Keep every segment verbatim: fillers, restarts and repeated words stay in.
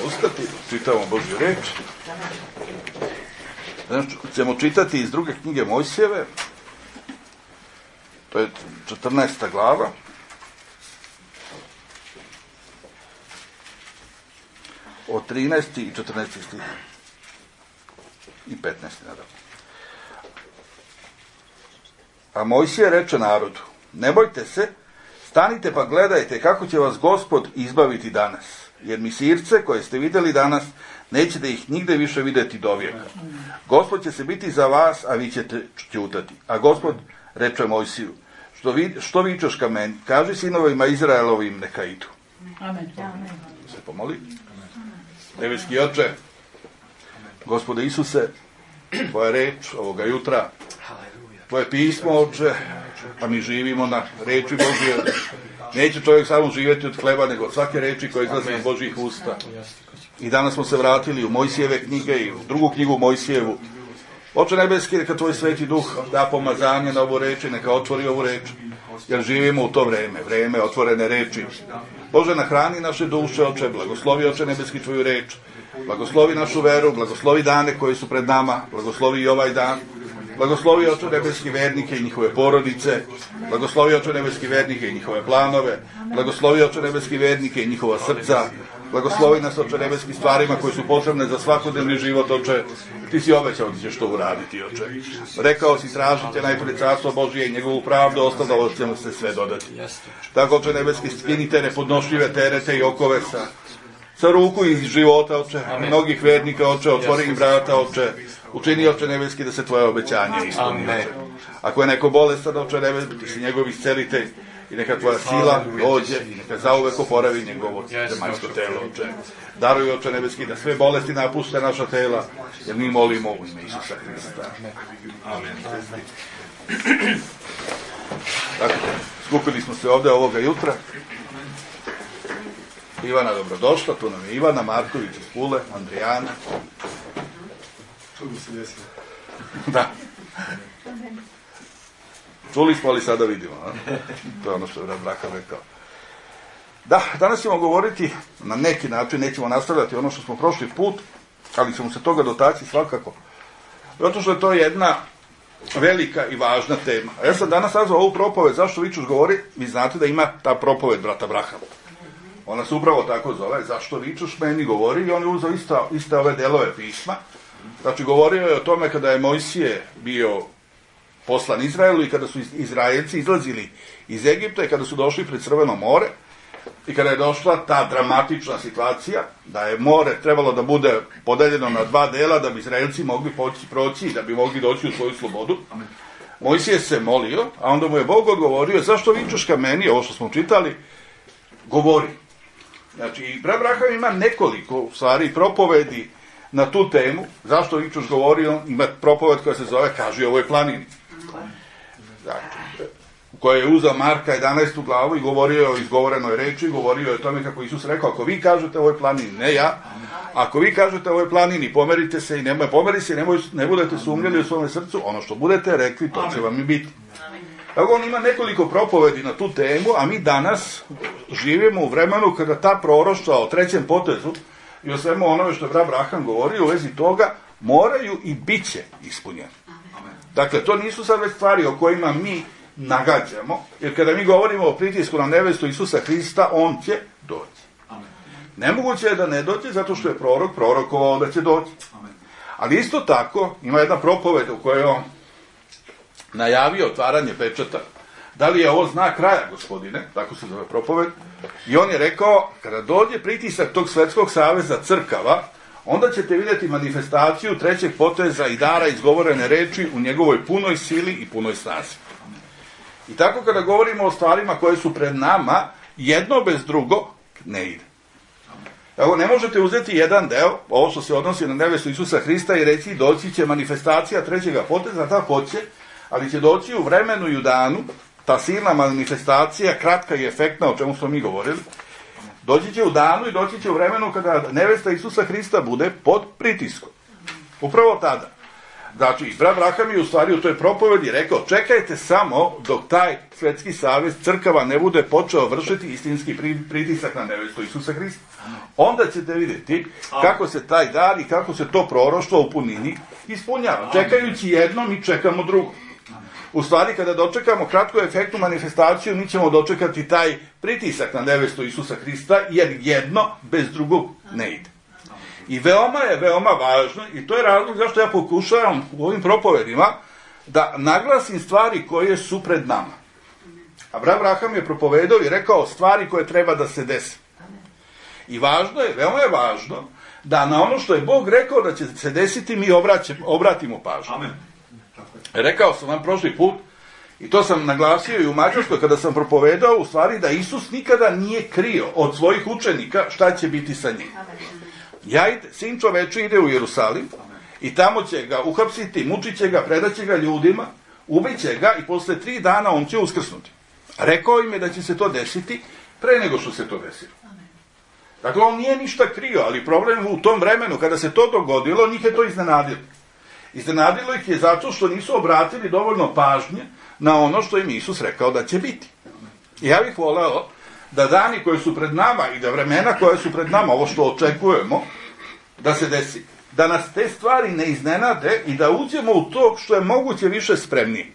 Ustati, čitamo Božju reč. Znači, ćemo čitati iz druge knjige Mojsijeve, to je četrnaesta glava. Od trinaesti i četrnaesti stih. I petnaesti, naravno. A Mojsije reče narodu, ne bojte se, stanite pa gledajte kako će vas Gospod izbaviti danas, jer Misirce koje ste vidjeli danas, nećete ih nigde više vidjeti do vijeka. Gospod će se biti za vas, a vi ćete ćutati. A Gospod reče Mojsiju, što, vi, što vičeš ka meni, kaži sinovima Izraelovim neka idu. Amen. Se pomoli. Nebeski Oče, Gospode Isuse, tvoja reč ovoga jutra, tvoje pismo, Oče, a mi živimo na reči Božje. Neće čovjek samo živjeti od hleba, nego od svake reči koja izlazi iz Božjih usta. I danas smo se vratili u Mojsijeve knjige i u drugu knjigu Mojsijevu. Oče nebeski, neka tvoj sveti duh da pomazanje na ovu reč i neka otvori ovu reč, jer živimo u to vreme, vreme otvorene reči. Bože, nahrani naše duše, Oče, blagoslovi, Oče nebeski, tvoju reč, blagoslovi našu veru, blagoslovi dane koji su pred nama, blagoslovi i ovaj dan, blagoslovi, Oče nebeski, vernike i njihove porodice, blagoslovi, Oče nebeski, vernike i njihove planove, blagoslovi, Oče nebeski, vernike i njihova srca, blagoslovi nas, Oče nebeski, stvarima koje su potrebne za svakodnevni život, Oče. Ti si obećao da ćeš to uraditi, Oče. Rekao si, tražite najprije carstvo Božije i njegovu pravdu, ostalo ćemo se sve dodati. Tako, Oče nebeski, skinite nepodnošljive terete i okove sa, sa ruku iz života, Oče, mnogih vernika, Oče, otvori im vrata, Oče, učini, Oče nebeski, da se tvoje obećanje ispuni, Oče. Ako je neko bolestan, Oče nebeski, ti si njegov iscelitelj, i neka tvoja sila dođe i neka zauvek oporavi njegovo zemaljsko telo, Oče. Daruj, Oče nebeski, da sve bolesti napuste naša tela, jer mi molimo u ime Isusa Hrista. Amen. Dakle, skupili smo se ovdje ovoga jutra. Ivana, dobrodošla, tu nam je Ivana, Marković iz Pule, Andrijana. Što bi se desilo? Da. Čuli smo, ali sada vidimo. A? To je ono što je brat Braka rekao. Da, danas ćemo govoriti na neki način, nećemo nastavljati ono što smo prošli put, ali ćemo se toga dotaći svakako. Zato što je to jedna velika i važna tema. A ja sam danas nazvao ovu propoved, zašto Vičuš govori, vi znate da ima ta propoved brata Braha. Ona se upravo tako zove, zašto Vičuš meni govori, i on je uzeo ista, iste ove delove pisma. Znači, govorio je o tome kada je Mojsije bio poslan Izraelu i kada su Izraelci izlazili iz Egipta i kada su došli pred Crveno more i kada je došla ta dramatična situacija da je more trebalo da bude podeljeno na dva dela da bi Izraelci mogli poći, proći i da bi mogli doći u svoju slobodu. Mojsije se molio, a onda mu je Bog odgovorio, zašto vičeš ka meni, ovo što smo čitali, govori. Znači, brat Braham ima nekoliko stvari propovedi na tu temu, zašto vičeš govori, on ima propoved koja se zove Kaži ovoj planini. Znači, koja je uzeo Marka jedanaestu glavu i govorio o izgovorenoj reči, govorio o tome kako Isus rekao, ako vi kažete ovoj planini, ne ja, ako vi kažete ovoj planini, pomerite se i nemoj, pomeri se i nemoj, ne budete sumnjali u svome srcu, ono što budete rekli, to će vam i biti. Tako on ima nekoliko propovedi na tu temu, a mi danas živimo u vremenu kada ta proroštva o trećem potezu i o svemu onome što je brat Braham govorio u vezi toga, moraju i bit će ispunjeni. Dakle, to nisu sad već stvari o kojima mi nagađamo, jer kada mi govorimo o pritisku na nevestu Isusa Hrista, on će doći. Nemoguće je da ne dođe, zato što je prorok prorokovao da će doći. Ali isto tako, ima jedna propoved u kojoj on najavio otvaranje pečata. Da li je ovo znak kraja, gospodine? Tako se zove propoved. I on je rekao, kada dođe pritisak tog svetskog saveza crkava, onda ćete vidjeti manifestaciju trećeg poteza i dara izgovorene reči u njegovoj punoj sili i punoj snazi. I tako kada govorimo o stvarima koje su pred nama, jedno bez drugo ne ide. Evo, ne možete uzeti jedan deo, ovo što se odnosi na nevestu Isusa Hrista, i reći doći će manifestacija trećega poteza, da hoće, ali će doći u vremenu i u danu, ta silna manifestacija, kratka i efektna, o čemu smo mi govorili, doći će u danu i doći će u vremenu kada nevesta Isusa Hrista bude pod pritiskom. Upravo tada. Znači, brat Abraham je u stvari u toj propovedi rekao, čekajte samo dok taj svetski savez crkava ne bude počeo vršiti istinski pritisak na nevestu Isusa Hrista. Onda ćete vidjeti kako se taj dar i kako se to proroštvo u punini ispunjava. Čekajući jedno, mi čekamo drugo. U stvari, kada dočekamo kratku efektnu manifestaciju, mi ćemo dočekati taj pritisak na nevestu Isusa Hrista, jer jedno bez drugog ne ide. I veoma je, veoma važno, i to je razlog zašto ja pokušavam u ovim propovedima da naglasim stvari koje su pred nama. Abraham je propovedao i rekao stvari koje treba da se desi. I važno je, veoma je važno, da na ono što je Bog rekao da će se desiti, mi obraćemo, obratimo pažnju. Amen. Rekao sam vam prošli put, i to sam naglasio i u Mađarskoj kada sam propovedao, u stvari da Isus nikada nije krio od svojih učenika šta će biti sa njim. Ja ide, sin čoveče ide u Jerusalim i tamo će ga uhapsiti, mučit će ga, predaće ga ljudima, ubiće ga i posle tri dana on će uskrsnuti. Rekao im je da će se to desiti pre nego što se to desilo. Dakle, on nije ništa krio, ali problem u tom vremenu kada se to dogodilo, njih je to iznenadilo. Iznenadilo ih je zato što nisu obratili dovoljno pažnje na ono što im Isus rekao da će biti. I ja bih voleo da dani koji su pred nama i da vremena koje su pred nama, ovo što očekujemo, da se desi. Da nas te stvari ne iznenade i da uđemo u to što je moguće više spremniji.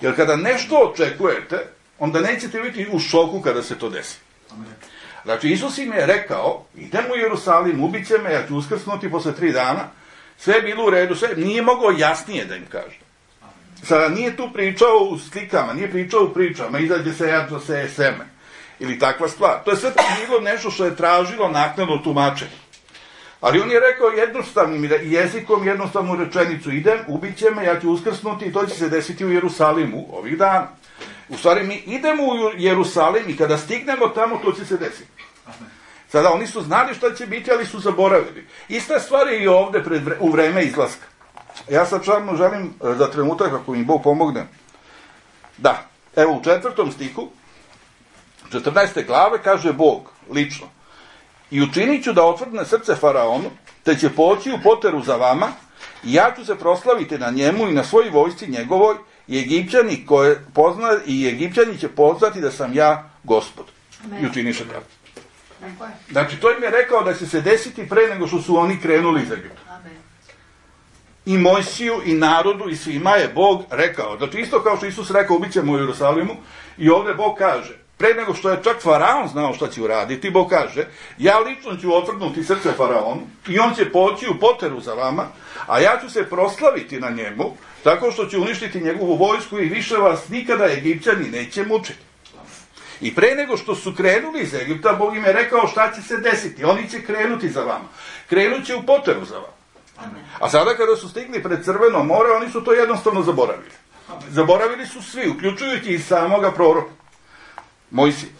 Jer kada nešto očekujete, onda nećete biti u šoku kada se to desi. Znači, Isus im je rekao, idem u Jerusalim, ubit će me, ja ću uskrsnuti posle tri dana, sve je bilo u redu, sve, nije mogao jasnije da im kaže. Sada nije tu pričao u slikama, nije pričao u pričama, izađe se ja, se je seme, ili takva stvar. To je sve bilo nešto što je tražilo naknadno tumačenje. Ali on je rekao jednostavnim jezikom, jednostavnu rečenicu, idem, ubit će me, ja ću uskrsnuti i to će se desiti u Jerusalimu ovih dana. U stvari, mi idemo u Jerusalim i kada stignemo tamo, to će se desiti. Sada, oni su znali šta će biti, ali su zaboravili. Ista stvar je i ovde pred, u vreme izlaska. Ja sad čarno želim za trenutak, ako mi Bog pomogne. Da, evo u četvrtom stihu, četrnaeste glave, kaže Bog, lično. I učinit ću da otvrdne srce faraonu, te će poći u poteru za vama, i ja ću se proslaviti na njemu i na svoj vojsci njegovoj, i Egipćani koje pozna, i Egipćani će poznati da sam ja Gospod. I učiniše tako. Znači, to im je rekao da će se desiti pre nego što su oni krenuli iz Egipta. I Mojsiju, i narodu, i svima je Bog rekao. Znači, isto kao što Isus rekao, ubit ćemo u Jerusalimu, i ovdje Bog kaže, pre nego što je čak faraon znao šta će uraditi, Bog kaže, ja lično ću otvrdnuti srce faraonu, i on će poći u poteru za vama, a ja ću se proslaviti na njemu, tako što ću uništiti njegovu vojsku i više vas nikada Egipćani neće mučiti. I pre nego što su krenuli iz Egipta, Bog im je rekao šta će se desiti. Oni će krenuti za vama. Krenut će u poteru za vama. A sada kada su stigli pred Crveno more, oni su to jednostavno zaboravili. Zaboravili su svi, uključujući i samoga proroka Mojsija.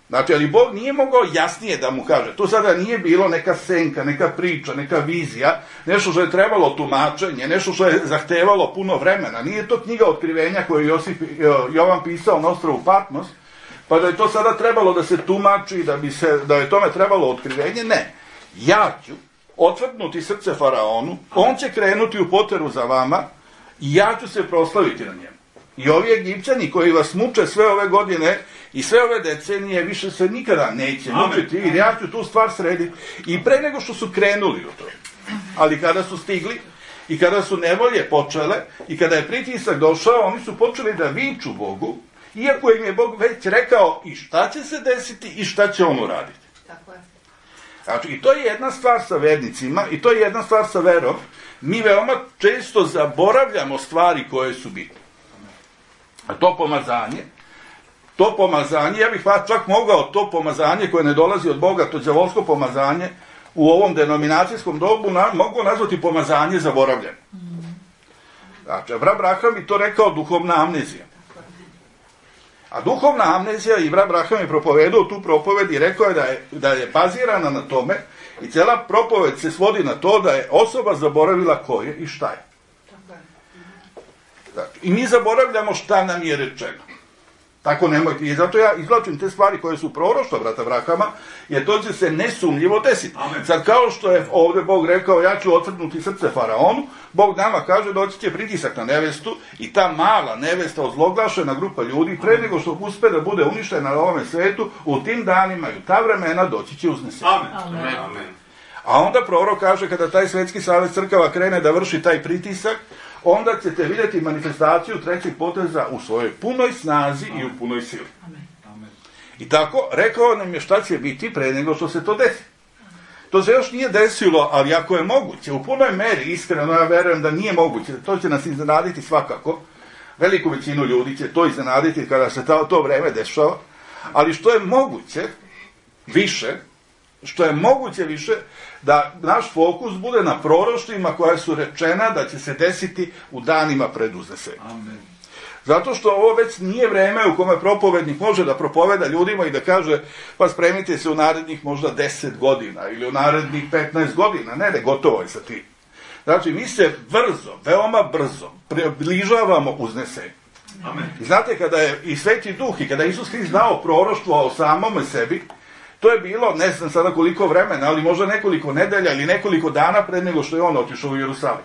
Znači, ali Bog nije mogao jasnije da mu kaže. To sada nije bilo neka senka, neka priča, neka vizija, nešto što je trebalo tumačenje, nešto što je zahtevalo puno vremena. Nije to knjiga Otkrivenja koju je Josip, Jovan pisao na ostrvu Patmos, pa da je to sada trebalo da se tumači, da bi se, da je tome trebalo otkrivenje. Ne. Ja ću otvrdnuti srce faraonu, on će krenuti u poteru za vama i ja ću se proslaviti na njemu. I ovi Egipćani koji vas muče sve ove godine i sve ove decenije više se nikada neće mučiti, jer ja ću tu stvar srediti. I pre nego što su krenuli u to. Ali kada su stigli i kada su nevolje počele i kada je pritisak došao, oni su počeli da viču Bogu, iako im je Bog već rekao i šta će se desiti i šta će on uraditi. Tako je. Znači, i to je jedna stvar sa vernicima i to je jedna stvar sa verom. Mi veoma često zaboravljamo stvari koje su bitne. A to pomazanje, to pomazanje, ja bih čak mogao to pomazanje koje ne dolazi od Boga, to đavolsko pomazanje, u ovom denominacijskom dobu na, mogu nazvati pomazanje zaboravljeno. Znači, Abraham bi to rekao duhovna amnezija. A duhovna amnezija, i Abraham je propovedao tu propoved i rekao je da je, da je bazirana na tome i cijela propoved se svodi na to da je osoba zaboravila ko je i šta je. Znači, i mi zaboravljamo šta nam je rečeno. Tako nemojte. I zato ja izvlačim te stvari koje su proroštva brata Abrahama, jer to će se nesumnjivo desiti. Amen. Sad kao što je ovdje Bog rekao, ja ću otvrnuti srce faraonu, Bog nama kaže doći će pritisak na nevestu i ta mala nevesta, ozloglašena grupa ljudi, pre nego što uspe da bude uništena na ovome svetu, u tim danima i u ta vremena doći će uznesenje. Amen. Amen. Amen. A onda prorok kaže, kada taj Svetski savez crkava krene da vrši taj pritisak, onda ćete vidjeti manifestaciju trećeg poteza u svojoj punoj snazi i u punoj sili. Amen. I tako, rekao nam je šta će biti pre nego što se to desi. To se još nije desilo, ali ako je moguće, u punoj meri, iskreno ja verujem da nije moguće, to će nas iznenaditi svakako, veliku većinu ljudi će to iznenaditi kada se to, to vreme dešava, ali što je moguće više, što je moguće više, da naš fokus bude na proroštvima koja su rečena da će se desiti u danima pred uznesenjem. Amen. Zato što ovo već nije vreme u kome propovednik može da propoveda ljudima i da kaže, pa spremite se u narednih možda deset godina ili u narednih petnaest godina. Ne, ne, gotovo je sa tim. Znači, mi se brzo, veoma brzo približavamo uznesenju. Amen. I znate, kada je i Sveti Duh i kada je Isus Hrist dao proroštvo o samome sebi, to je bilo, ne znam sada koliko vremena, ali možda nekoliko nedelja ili nekoliko dana pred nego što je on otišao u Jerusalim.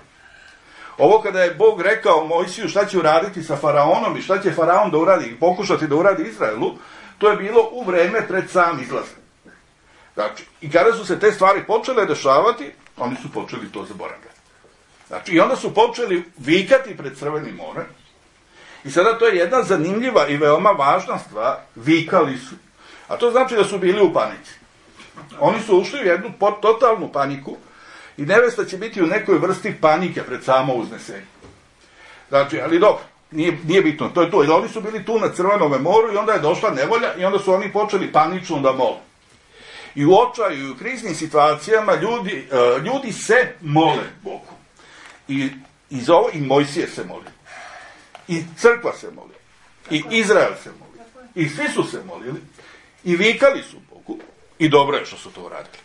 Ovo kada je Bog rekao Mojsiju šta će uraditi sa faraonom i šta će faraon da uradi i pokušati da uradi Izraelu, to je bilo u vreme pred sam izlazak. Znači, i kada su se te stvari počele dešavati, oni su počeli to zaboravljati. Znači, i onda su počeli vikati pred Crvenim morem. I sada to je jedna zanimljiva i veoma važna stvar, vikali su. A to znači da su bili u panici. Oni su ušli u jednu totalnu paniku i nevesta će biti u nekoj vrsti panike pred samo uznesenje. Znači, ali dobro, nije, nije bitno, to je to. Jer oni su bili tu na Crvenom moru i onda je došla nevolja i onda su oni počeli panično da mole. I u očaju i u kriznim situacijama ljudi, uh, ljudi se mole Bogu. I, i, za ovo, i Mojsije se moli. I crkva se moli. I Izrael se moli. I svi su se molili. I vikali su Bogu. I dobro je što su to uradili.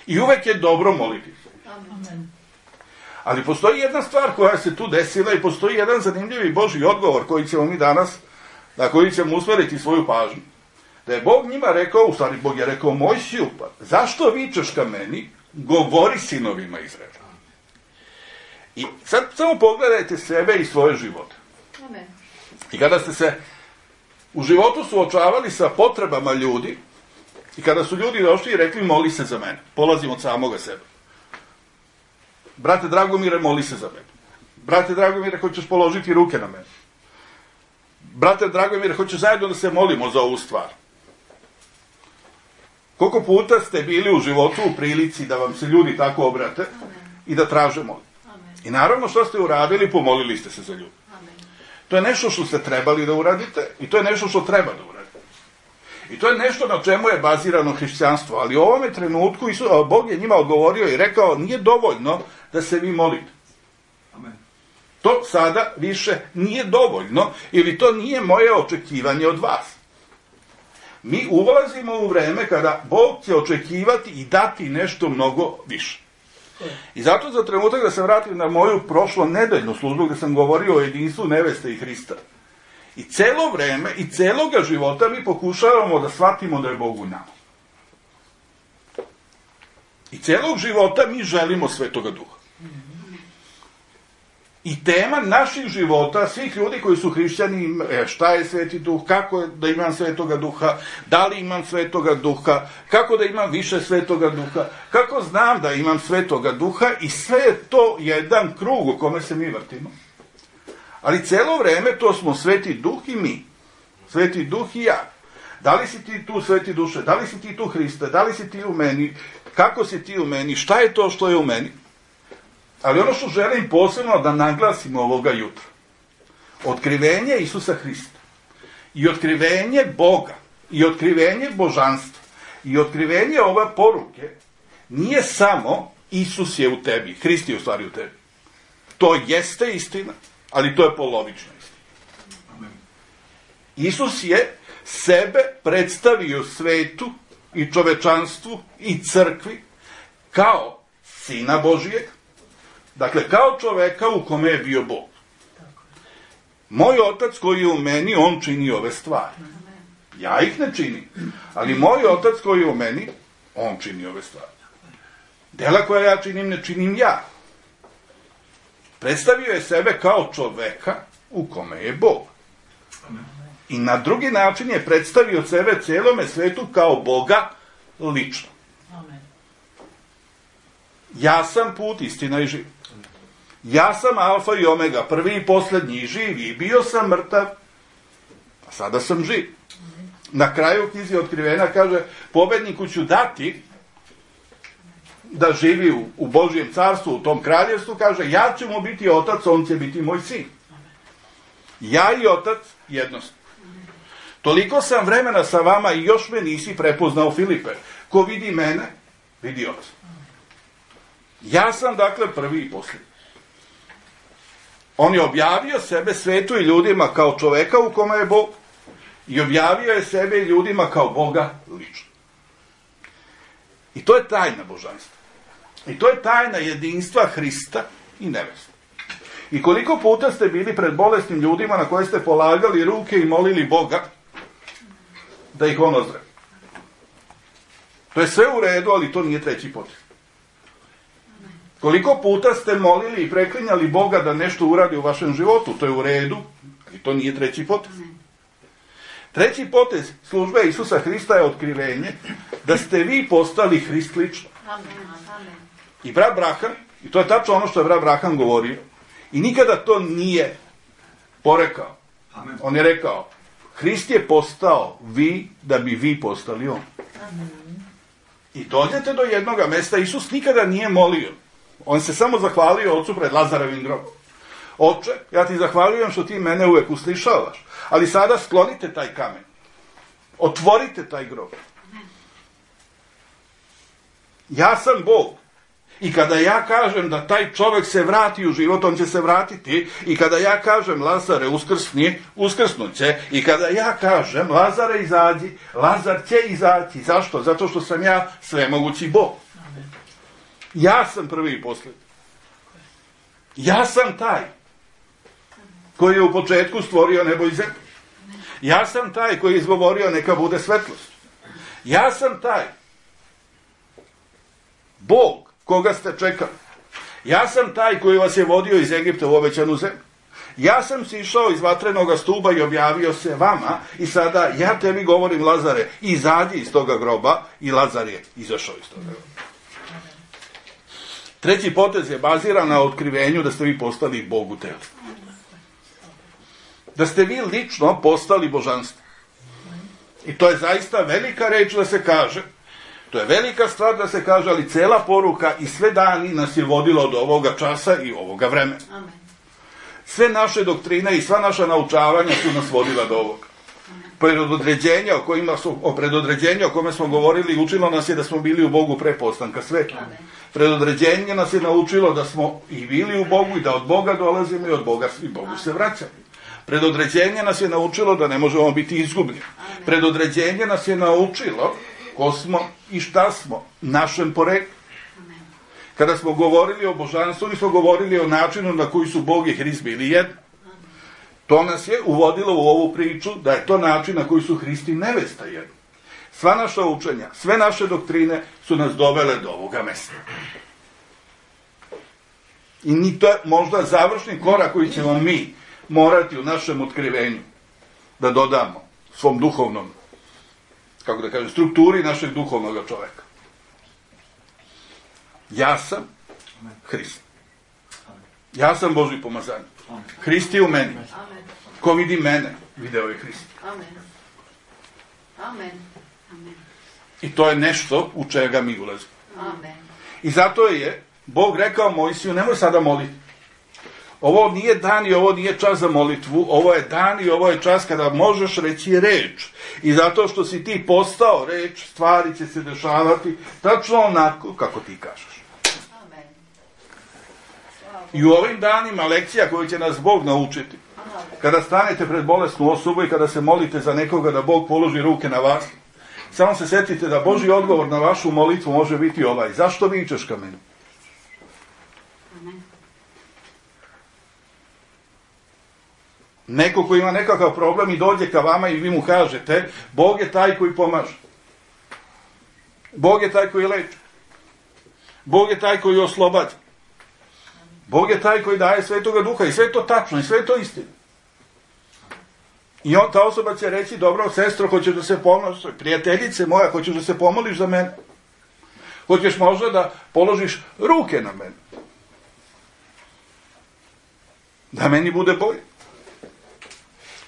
I uvek je dobro moliti se. Amen. Ali postoji jedna stvar koja se tu desila i postoji jedan zanimljivi Božji odgovor koji ćemo mi danas, na koji ćemo usmeriti svoju pažnju. Da je Bog njima rekao, u stvari Bog je rekao Mojsiju, pa zašto vičeš ka meni, govori sinovima Izraela. I sad samo pogledajte sebe i svoje živote. Amen. I kada ste se u životu suočavali sa potrebama ljudi, i kada su ljudi došli i rekli moli se za mene, polazim od samoga sebe. Brate Dragomire, moli se za mene. Brate Dragomire, hoćeš položiti ruke na mene. Brate Dragomire, hoćeš zajedno da se molimo za ovu stvar. Koliko puta ste bili u životu u prilici da vam se ljudi tako obrate i da traže molitvu. I naravno što ste uradili, pomolili ste se za ljudi. To je nešto što ste trebali da uradite i to je nešto što treba da uradite. I to je nešto na čemu je bazirano hrišćanstvo. Ali u ovome trenutku Isus, Bog je njima odgovorio i rekao, nije dovoljno da se vi molite. Amen. To sada više nije dovoljno ili to nije moje očekivanje od vas. Mi ulazimo u vreme kada Bog će očekivati i dati nešto mnogo više. I zato za trenutak da se vratim na moju prošlo nedeljnu službu gdje sam govorio o jedinstvu neveste i Hrista. I celo vreme i celoga života mi pokušavamo da shvatimo da je Bog u nama. I celog života mi želimo Svetoga Duha. I tema naših života, svih ljudi koji su hrišćani, šta je Sveti Duh, kako je da imam Svetoga Duha, da li imam Svetoga Duha, kako da imam više Svetoga Duha, kako znam da imam Svetoga Duha i sve je to jedan krug u kome se mi vrtimo. Ali celo vreme to smo Sveti Duh i mi. Sveti Duh i ja. Da li si ti tu, Sveti Duše, da li si ti tu, Hriste, da li si ti u meni, kako si ti u meni, šta je to što je u meni? Ali ono što želim posebno da naglasim ovoga jutra. Otkrivenje Isusa Hrista. I otkrivenje Boga. I otkrivenje božanstva. I otkrivenje ove poruke nije samo Isus je u tebi. Hrist je u stvari u tebi. To jeste istina, ali to je polovična istina. Isus je sebe predstavio svetu i čovečanstvu i crkvi kao Sina Božijeg. Dakle, kao čoveka u kome je bio Bog. Moj otac koji je u meni, on čini ove stvari. Ja ih ne činim. Ali moj otac koji je u meni, on čini ove stvari. Dela koja ja činim, ne činim ja. Predstavio je sebe kao čoveka u kome je Bog. I na drugi način je predstavio sebe cijelome svetu kao Boga lično. Ja sam put, istina i život. Ja sam alfa i omega, prvi i posljednji, živ i bio sam mrtav, a sada sam živ. Na kraju knjizi Otkrivenja kaže, pobedniku ću dati da živi u, u Božjem carstvu, u tom kraljevstvu, kaže, ja ću mu biti otac, on će biti moj sin. Ja i otac jednostavno. Toliko sam vremena sa vama i još me nisi prepoznao, Filipe. Ko vidi mene, vidi oca. Ja sam dakle prvi i posljednji. On je objavio sebe svetu i ljudima kao čoveka u kome je Bog i objavio je sebe i ljudima kao Boga lično. I to je tajna božanstva. I to je tajna jedinstva Hrista i neveste. I koliko puta ste bili pred bolesnim ljudima na koje ste polagali ruke i molili Boga da ih on ozdravi. To je sve u redu, ali to nije treći potez. Koliko puta ste molili i preklinjali Boga da nešto uradi u vašem životu, to je u redu, ali to nije treći potez. Treći potez službe Isusa Hrista je otkrivenje da ste vi postali Hrist lično. I brat Braham, i to je tačno ono što je brat Braham govorio, i nikada to nije porekao. On je rekao, Hrist je postao vi da bi vi postali on. I dođete do jednoga mesta, Isus nikada nije molio. On se samo zahvalio ocu pred Lazarevim grobom. Oče, ja ti zahvaljujem što ti mene uvek uslišavaš, ali sada sklonite taj kamen. Otvorite taj grob. Ja sam Bog. I kada ja kažem da taj čovjek se vrati u život, on će se vratiti. I kada ja kažem Lazare uskrsni, uskrsnut će. I kada ja kažem Lazare izađi, Lazar će izaći. Zašto? Zato što sam ja svemogući Bog. Ja sam prvi i posljednji. Ja sam taj koji je u početku stvorio nebo i zemlju. Ja sam taj koji je izgovorio neka bude svetlost. Ja sam taj Bog koga ste čekali. Ja sam taj koji vas je vodio iz Egipta u obećanu zemlju. Ja sam sišao iz vatrenoga stuba i objavio se vama i sada ja tebi govorim, Lazare, izađi iz toga groba, i Lazar je izašao iz toga groba. Treći potez je baziran na otkrivenju da ste vi postali Bog u telu. Da ste vi lično postali božanstvo. I to je zaista velika reč da se kaže. To je velika stvar da se kaže, ali cela poruka i sve dani nas je vodilo do ovoga časa i ovoga vremena. Sve naše doktrine i sva naša naučavanja su nas vodila do ovoga. Predodređenja o kojima su, o predodređenju o kome smo govorili učilo nas je da smo bili u Bogu pre postanka sveta. Predodređenje nas je naučilo da smo i bili u Bogu i da od Boga dolazimo i od Boga i Bogu se vraćamo. Predodređenje nas je naučilo da ne možemo biti izgubljeni. Predodređenje nas je naučilo ko smo i šta smo, našem poreklu. Kada smo govorili o božanstvu, mi smo govorili o načinu na koji su Bog i Hrist bili jedno. To nas je uvodilo u ovu priču da je to način na koji su Hrist i nevesta jedno. Sva naša učenja, sve naše doktrine su nas dovele do ovoga mesta. I ni to je možda završni korak koji ćemo mi morati u našem otkrivenju da dodamo svom duhovnom, kako da kažem, strukturi našeg duhovnog čoveka. Ja sam Hrist. Ja sam Božji pomazanik. Hrist je u meni. Ko vidi mene, video je Hrist. I to je nešto u čega mi ulazimo. I zato je Bog rekao Mojsiju, nemoj sada moliti. Ovo nije dan i ovo nije čas za molitvu, ovo je dan i ovo je čas kada možeš reći reč. I zato što si ti postao reč, stvari će se dešavati tačno onako kako ti kažeš. I u ovim danima lekcija koju će nas Bog naučiti, kada stanete pred bolesnu osobu i kada se molite za nekoga da Bog položi ruke na vas, samo se setite da Božji odgovor na vašu molitvu može biti ovaj: zašto vičeš ka meni? Neko ko ima nekakav problem i dođe ka vama i vi mu kažete, Bog je taj koji pomaže. Bog je taj koji leči. Bog je taj koji oslobađa. Bog je taj koji daje Svetoga Duha i sve je to tačno i sve je to istina. I on, ta osoba će reći, dobro, sestro, hoćeš da se pomoliš, prijateljice moja, hoćeš da se pomoliš za mene? Hoćeš možda da položiš ruke na mene? Da meni bude bolje.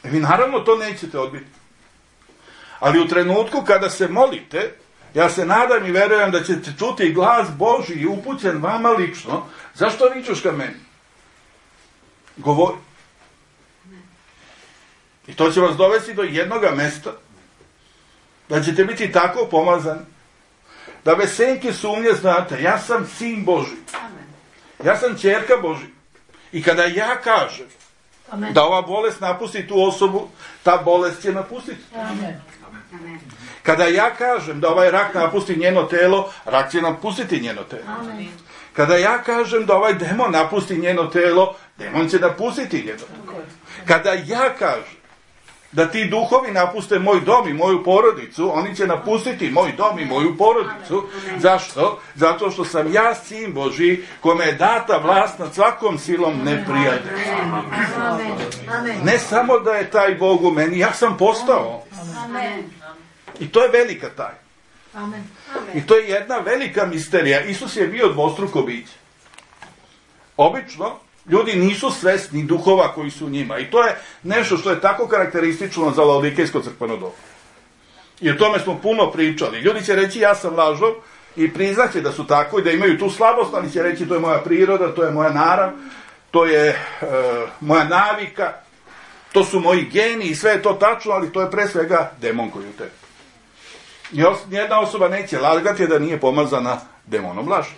Vi naravno to nećete odbiti. Ali u trenutku kada se molite, ja se nadam i verujem da ćete čuti glas Božji upućen vama lično. Zašto vičeš ka meni? Govori. I to će vas dovesti do jednoga mesta, da ćete biti tako pomazani, da bez senke sumnje znate, ja sam sin Božji. Ja sam ćerka Božji. I kada ja kažem Amen. Da ova bolest napusti tu osobu, ta bolest će napustiti. Amen. Kada ja kažem da ovaj rak napusti njeno telo, rak će napustiti njeno telo. Amen. Kada ja kažem da ovaj demon napusti njeno telo, demon će napustiti njeno telo. Kada ja kažem da ti duhovi napuste moj dom i moju porodicu, oni će napustiti moj dom i moju porodicu. Zašto? Zato što sam ja sin Božji, kome je data vlast nad svakom silom neprijatelja. Ne samo da je taj Bog u meni, ja sam postao. I to je velika tajna. I to je jedna velika misterija. Isus je bio dvostruko biće. Obično ljudi nisu svesni duhova koji su u njima. I to je nešto što je tako karakteristično za Laodikejsko crkveno doba. I o tome smo puno pričali. Ljudi će reći ja sam lažov i priznaće da su tako i da imaju tu slabost, ali će reći to je moja priroda, to je moja narav, to je e, moja navika, to su moji geni i sve je to tačno, ali to je pre svega demon koji u tebi. I os, nijedna osoba neće lagati da nije pomazana demonom laži.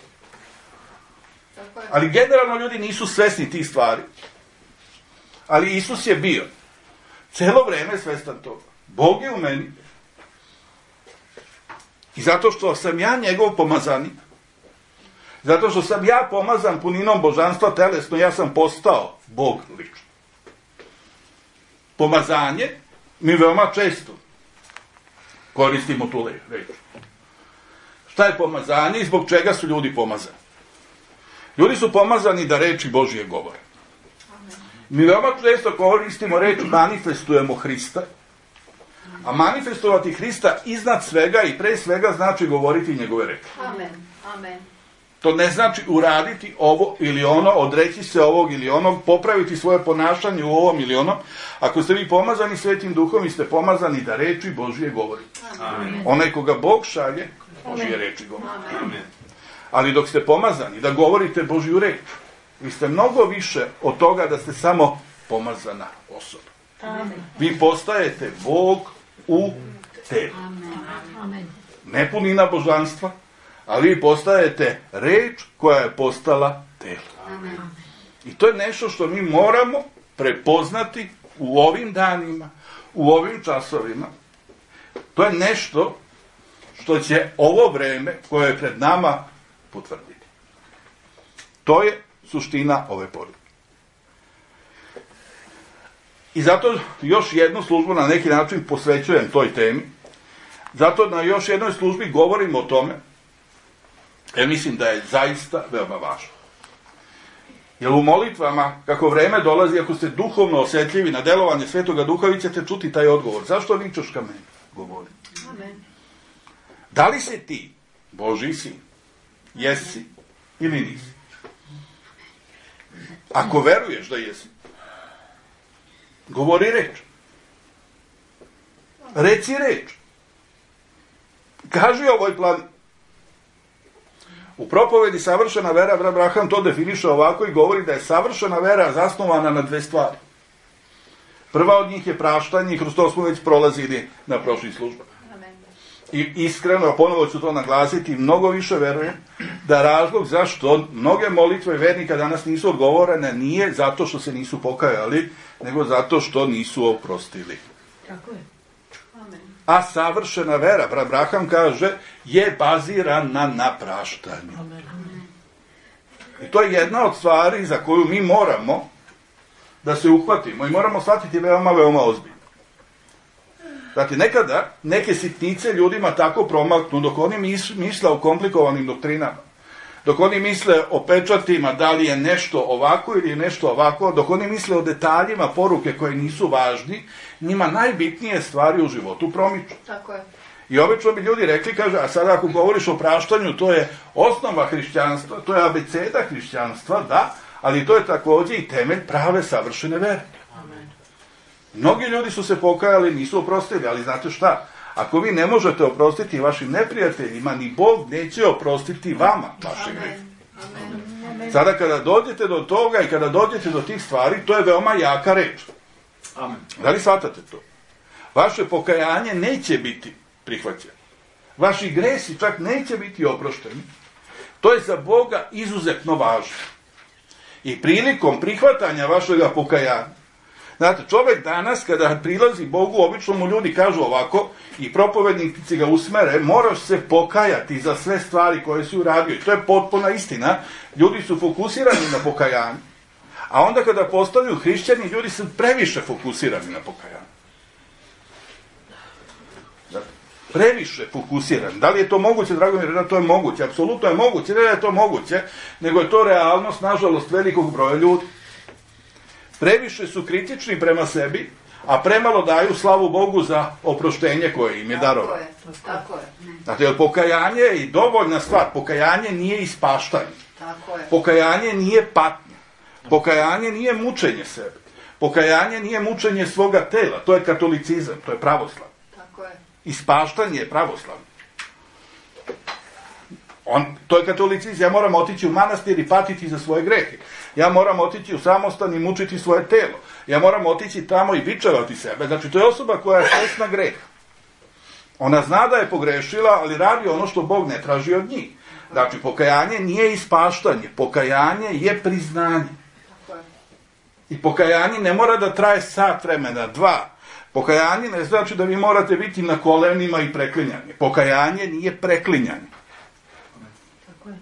Ali generalno ljudi nisu svesni tih stvari. Ali Isus je bio celo vreme svestan toga. Bog je u meni. I zato što sam ja njegov pomazanik, zato što sam ja pomazan puninom božanstva telesno, ja sam postao Bog lično. Pomazanje mi veoma često koristimo tu reč. Šta je pomazanje i zbog čega su ljudi pomazani? Ljudi su pomazani da reči Božije govore. Mi veoma često koristimo reč manifestujemo Hrista, a manifestovati Hrista iznad svega i pre svega znači govoriti njegove reči. Amen. Amen. To ne znači uraditi ovo ili ono, odreći se ovog ili onog, popraviti svoje ponašanje u ovom ili onom. Ako ste vi pomazani Svetim Duhom, vi ste pomazani da reči Božije govorite. Amen. Onaj koga Bog šalje, Božije reči govori. Amen. Ali dok ste pomazani da govorite Božju reč, vi ste mnogo više od toga da ste samo pomazana osoba. Amen. Vi postajete Bog u tebi. Amen. Ne punina božanstva, ali vi postajete reč koja je postala telo. Amen. I to je nešto što mi moramo prepoznati u ovim danima, u ovim časovima. To je nešto što će ovo vreme koje je pred nama potvrditi. To je suština ove poruke. I zato još jednu službu na neki način posvećujem toj temi. Zato na još jednoj službi govorim o tome, jer mislim da je zaista veoma važno. Jer u molitvama, kako vreme dolazi, ako ste duhovno osjetljivi na delovanje Svetoga Duha, vi ćete čuti taj odgovor. Zašto vičeš ka meni? Govori. Amen. Da li si ti Božji sin? Jesi ili nisi? Ako veruješ da jesi, govori reč. Reci reč. Kaži ovoj plan. U propovedi savršena vera, brat Abraham to definiše ovako i govori da je savršena vera zasnovana na dve stvari. Prva od njih je praštanje i kroz to smo već prolazili na prošlih službama. I iskreno, ponovo ću to naglasiti, mnogo više verujem da razlog zašto mnoge molitve vernika danas nisu odgovorene nije zato što se nisu pokajali, nego zato što nisu oprostili. Tako je. Amen. A savršena vera, brat Abraham kaže, je bazirana na praštanju. Amen. I to je jedna od stvari za koju mi moramo da se uhvatimo i moramo shvatiti veoma, veoma ozbiljno. Znači, nekada neke sitnice ljudima tako promaknu dok oni mis, misle o komplikovanim doktrinama, dok oni misle o pečatima, da li je nešto ovako ili je nešto ovako, dok oni misle o detaljima poruke koje nisu važni, njima najbitnije stvari u životu promiču. Tako je. I obično bi ljudi rekli, kaže, a sada ako govoriš o praštanju, to je osnova hrišćanstva, to je abeceda hrišćanstva, da, ali to je također i temelj prave savršene vere. Amen. Mnogi ljudi su se pokajali, nisu oprostili, ali znate šta? Ako vi ne možete oprostiti vašim neprijateljima, ni Bog neće oprostiti vama vaše grehe. Amen. Sada kada dođete do toga i kada dođete do tih stvari, to je veoma jaka reč. Amen. Da li shvatate to? Vaše pokajanje neće biti prihvaćeno. Vaši gresi čak neće biti oprošteni. To je za Boga izuzetno važno. I prilikom prihvatanja vašega pokajanja, znate, čovjek danas kada prilazi Bogu, obično mu ljudi kažu ovako i propovednici ga usmere, moraš se pokajati za sve stvari koje si uradio. I to je potpuna istina. Ljudi su fokusirani na pokajanje. A onda kada postaju hrišćani, ljudi su previše fokusirani na pokajanje. Previše fokusirani. Da li je to moguće, drago mi je, da to je moguće? Apsolutno je moguće, ne da je to moguće, nego je to realnost, nažalost, velikog broja ljudi. Previše su kritični prema sebi, a premalo daju slavu Bogu za oproštenje koje im je darovano. Tako je, tako je. Znate, jer pokajanje je i dovoljna stvar. Pokajanje nije ispaštanje. Tako je. Pokajanje nije patnja. Pokajanje nije mučenje sebe. Pokajanje nije mučenje svoga tela. To je katolicizam, to je pravoslav. Tako je. Ispaštanje je pravoslavno. On, to je katolicizam. Ja moram otići u manastir i patiti za svoje grehe. Ja moram otići u samostan i mučiti svoje telo. Ja moram otići tamo i bičevati sebe. Znači, to je osoba koja je svjesna greha. Ona zna da je pogrešila, ali radi ono što Bog ne traži od njih. Znači, pokajanje nije ispaštanje. Pokajanje je priznanje. Tako je. I pokajanje ne mora da traje sat vremena, dva. Pokajanje ne znači da vi morate biti na kolenima i preklinjanje. Pokajanje nije preklinjanje. Tako je.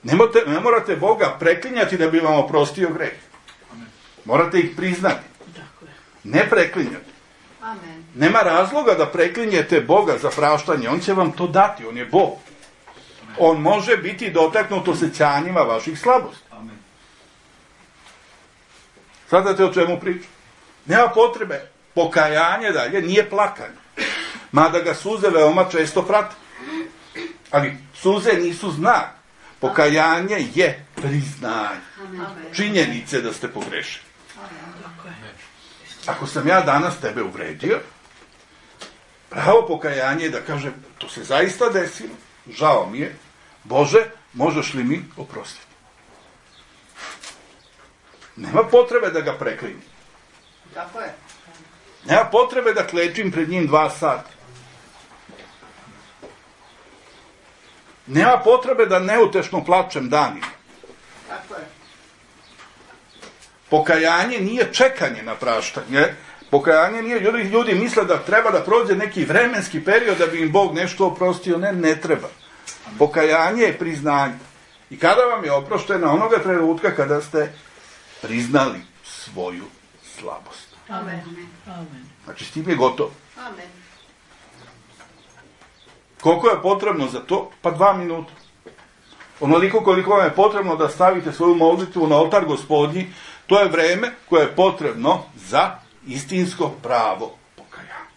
Ne morate, ne morate Boga preklinjati da bi vam oprostio greh. Morate ih priznati. Tako je. Ne preklinjati. Amen. Nema razloga da preklinjete Boga za praštanje. On će vam to dati. On je Bog. On može biti dotaknut osjećanjima vaših slabosti. Amen. Shvatate o čemu pričam? Nema potrebe. Pokajanje dalje nije plakanje. Mada ga suze veoma često prate. Ali suze nisu znak. Pokajanje je priznanje. Amen. Činjenice da ste pogrešili. Tako je. Ako sam ja danas tebe uvredio, pravo pokajanje je da kaže, to se zaista desilo, žao mi je, Bože, možeš li mi oprostiti? Nema potrebe da ga preklinim. Tako je. Nema potrebe da klečim pred njim dva sata. Nema potrebe da neutešno plačem danima. Tako je. Pokajanje nije čekanje na praštanje. Pokajanje nije, ljudi, ljudi misle da treba da prođe neki vremenski period da bi im Bog nešto oprostio. Ne, ne treba. Pokajanje je priznanje. I kada vam je oprošteno, onoga trenutka kada ste priznali svoju slabost. Amen. Amen. Znači, s tim je gotovo. Amen. Koliko je potrebno za to? Pa dva minuta. Onoliko koliko vam je potrebno da stavite svoju molitvu na oltar Gospodnji, to je vreme koje je potrebno za istinsko pravo pokajanje.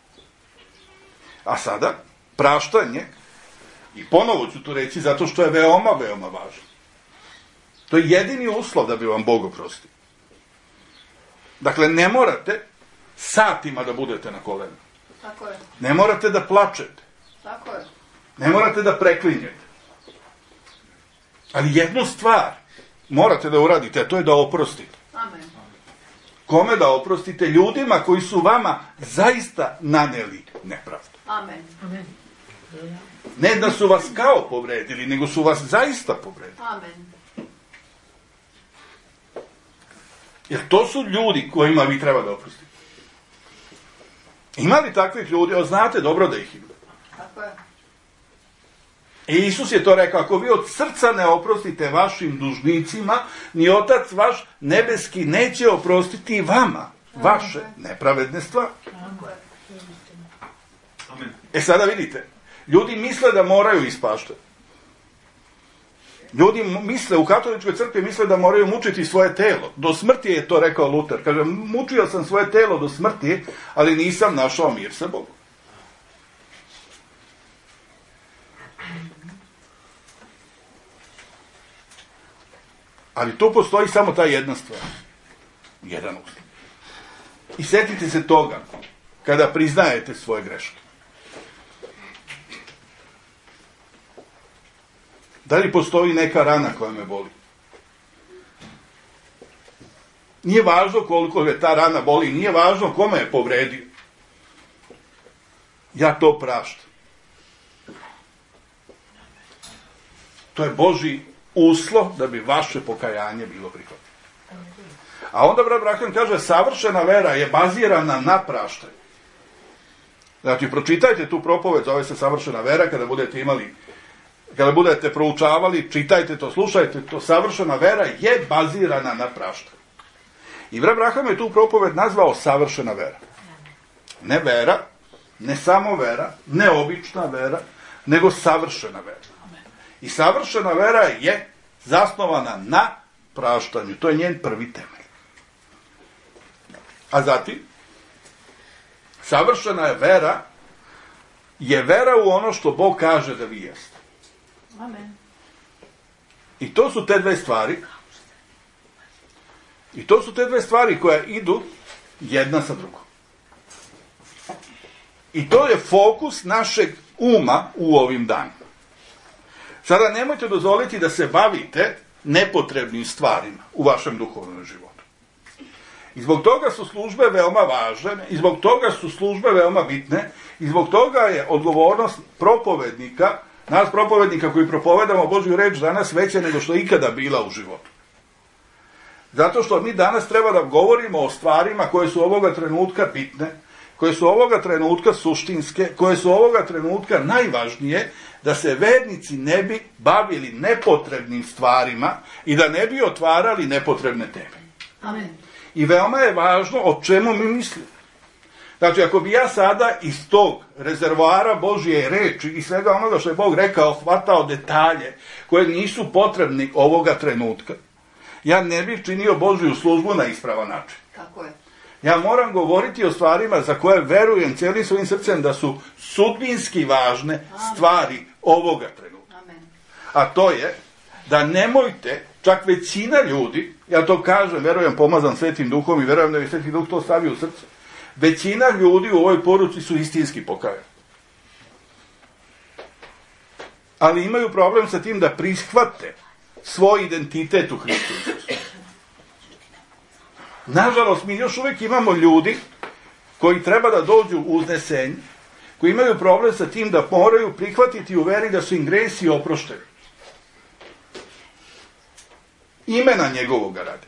A sada, praštanje, i ponovo ću to reći zato što je veoma, veoma važno. To je jedini uslov da bi vam Bog oprostio. Dakle, ne morate satima da budete na kolenu. Tako je. Ne morate da plačete. Tako je. Ne morate da preklinjete. Ali jednu stvar morate da uradite, a to je da oprostite. Amen. Kome da oprostite? Ljudima koji su vama zaista naneli nepravdu. Amen. Amen. Ne da su vas kao povredili, nego su vas zaista povredili. Amen. Jer to su ljudi kojima vi treba da oprostite. Ima li takvih ljudi? O, znate dobro da ih ima. Tako je. I Isus je to rekao, ako vi od srca ne oprostite vašim dužnicima, ni Otac vaš nebeski neće oprostiti vama vaše nepravedne stvari. Amen. E sada vidite, ljudi misle da moraju ispaštati. Ljudi misle, u katoličkoj crkvi misle da moraju mučiti svoje telo. Do smrti je to rekao Luter. Kaže, mučio sam svoje telo do smrti, ali nisam našao mir sa Bogom. Ali tu postoji samo ta jedna stvar. Jedan uslov. I sjetite se toga kada priznajete svoje greške. Da li postoji neka rana koja me boli? Nije važno koliko je ta rana boli, nije važno kome je povredio. Ja to praštam. To je Božji uslov da bi vaše pokajanje bilo prihvatljeno. A onda brat Branhan kaže, savršena vera je bazirana na praštanju. Znači, pročitajte tu propoved, zove se savršena vera, kada budete imali, kada budete proučavali, čitajte to, slušajte to, savršena vera je bazirana na praštanju. I brat Branhan je tu propoved nazvao savršena vera. Ne vera, ne samo vera, ne obična vera, nego savršena vera. I savršena vera je zasnovana na praštanju. To je njen prvi temelj. A zatim, savršena je vera, je vera u ono što Bog kaže da vi jeste. Amen. I to su te dve stvari. I to su te dve stvari koje idu jedna sa drugom. I to je fokus našeg uma u ovim danima. Sada nemojte dozvoliti da se bavite nepotrebnim stvarima u vašem duhovnom životu. I zbog toga su službe veoma važne, i zbog toga su službe veoma bitne, i zbog toga je odgovornost propovednika, nas propovednika koji propovedamo Božju reč danas veća nego što je ikada bila u životu. Zato što mi danas treba da govorimo o stvarima koje su ovoga trenutka bitne, koje su ovoga trenutka suštinske, koje su ovoga trenutka najvažnije, da se vernici ne bi bavili nepotrebnim stvarima i da ne bi otvarali nepotrebne teme. Amen. I veoma je važno o čemu mi mislimo. Znači, ako bi ja sada iz tog rezervoara Božje reči i svega onoga što je Bog rekao, hvatao detalje koje nisu potrebni ovoga trenutka, ja ne bih činio Božju službu na ispravan način. Tako je. Ja moram govoriti o stvarima za koje verujem cijelim svojim srcem da su sudbinski važne stvari ovoga trenutka. Amen. A to je da nemojte, čak većina ljudi, ja to kažem, verujem pomazan Svetim Duhom i verujem da je Sveti Duh to stavio u srce, većina ljudi u ovoj poruci su istinski pokajani. Ali imaju problem sa tim da prihvate svoj identitet u Hristu Isusu. Nažalost, mi još uvijek imamo ljudi koji treba da dođu u uznesenje, koji imaju problem sa tim da moraju prihvatiti u veri da su im gresi oprošteni. Imena njegovoga radi.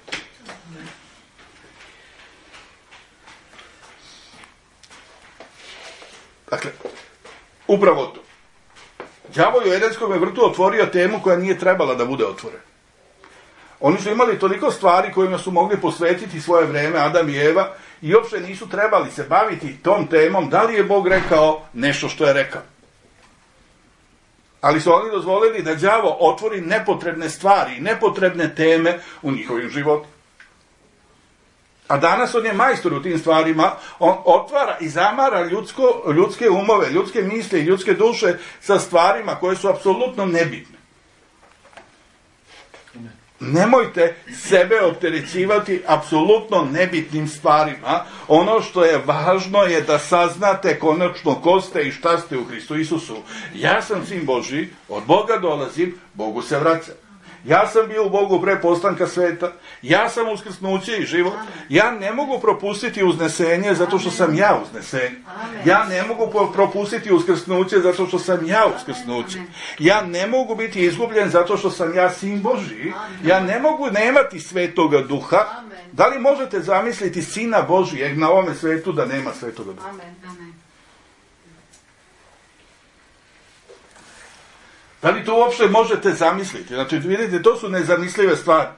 Dakle, upravo to. Đavo je u Edenskom vrtu otvorio temu koja nije trebala da bude otvorena. Oni su imali toliko stvari kojima su mogli posvetiti svoje vreme, Adam i Eva, i uopšte nisu trebali se baviti tom temom, da li je Bog rekao nešto što je rekao. Ali su oni dozvolili da đavo otvori nepotrebne stvari, nepotrebne teme u njihovim životu. A danas on je majstor u tim stvarima, on otvara i zamara ljudsko, ljudske umove, ljudske misli i ljudske duše sa stvarima koje su apsolutno nebitne. Nemojte sebe opterećivati apsolutno nebitnim stvarima. Ono što je važno je da saznate konačno ko ste i šta ste u Hristu Isusu. Ja sam sin Božji, od Boga dolazim, Bogu se vraćam. Ja sam bio u Bogu pre postanka sveta, ja sam uskrsnuće i život, ja ne mogu propustiti uznesenje zato što sam ja uznesenje. Ja ne mogu propustiti uskrsnuće zato što sam ja uskrsnuće. Ja ne mogu biti izgubljen zato što sam ja sin Božji. Ja ne mogu nemati Svetoga Duha. Da li možete zamisliti Sina Božijeg na ovome svetu da nema Svetoga Duha? Da li to uopšte možete zamisliti? Znači, vidite, to su nezamislive stvari.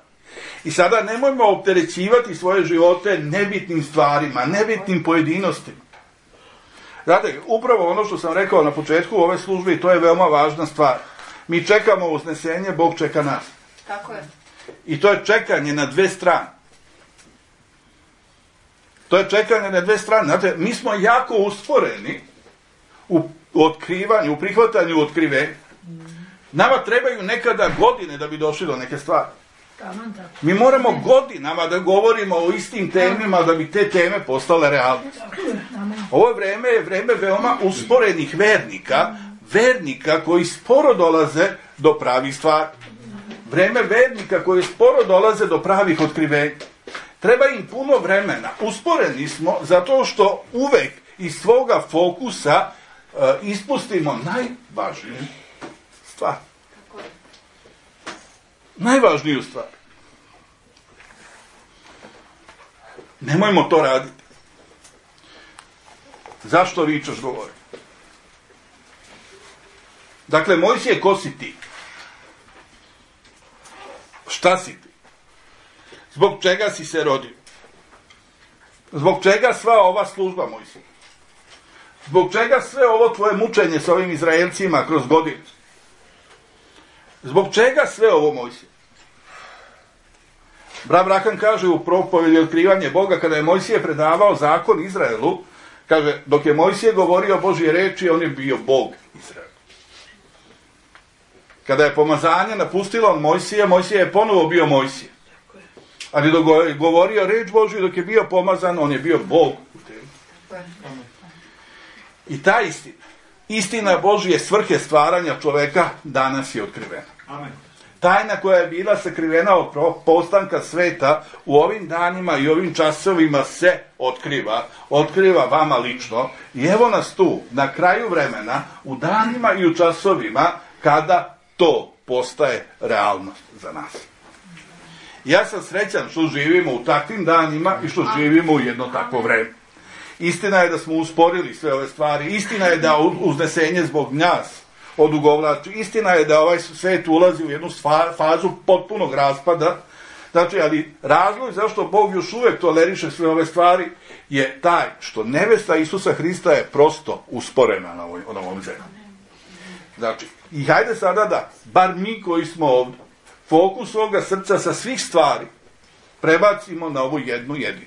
I sada nemojmo opterećivati svoje živote nebitnim stvarima, nebitnim pojedinostima. Znate, upravo ono što sam rekao na početku ove službe, to je veoma važna stvar. Mi čekamo uznesenje, Bog čeka nas. Tako je. I to je čekanje na dve strane. To je čekanje na dve strane. Znate, mi smo jako usporeni u otkrivanju, u prihvatanju otkrivenja. Nama trebaju nekada godine da bi došli do neke stvari. Mi moramo godinama da govorimo o istim temima da bi te teme postale realnost. Ovo vreme je vreme veoma usporenih vernika, vernika koji sporo dolaze do pravih stvari. Vreme vernika koji sporo dolaze do pravih otkrivenja. Treba im puno vremena. Usporeni smo zato što uvek iz svoga fokusa uh, ispustimo najvažniju stvar. Najvažniju stvar. Nemojmo to raditi. Zašto vičeš, govori? Dakle, Mojsije, ko si ti? Šta si ti? Zbog čega si se rodio? Zbog čega sva ova služba, Mojsije? Zbog čega sve ovo tvoje mučenje s ovim Izraelcima kroz godinu? Zbog čega sve ovo, Mojsije? Brat Branham kaže u propovelji Otkrivanje Boga, kada je Mojsije predavao zakon Izraelu, kaže, dok je Mojsije govorio Božje reči, on je bio Bog Izraelu. Kada je pomazanje napustilo Mojsije, Mojsije je ponovo bio Mojsije. Ali dok je govorio reč Božju, dok je bio pomazan, on je bio Bog u tebi. I ta istina, istina Božje svrhe stvaranja čoveka danas je otkrivena. Amen. Tajna koja je bila sakrivena od postanka sveta u ovim danima i ovim časovima se otkriva. Otkriva vama lično. I evo nas tu, na kraju vremena, u danima i u časovima, kada to postaje realnost za nas. Ja sam srećan što živimo u takvim danima i što živimo u jedno takvo vreme. Istina je da smo usporili sve ove stvari. Istina je da uznesenje zbog nas odugovlači. Istina je da ovaj svet ulazi u jednu fazu potpunog raspada. Znači, ali razlog zašto Bog još uvek toleriše sve ove stvari je taj što nevesta Isusa Hrista je prosto usporena na ovoj, na ovom zemlji. Znači, i hajde sada da, bar mi koji smo ovdje, fokus svoga srca sa svih stvari prebacimo na ovu jednu jedinu.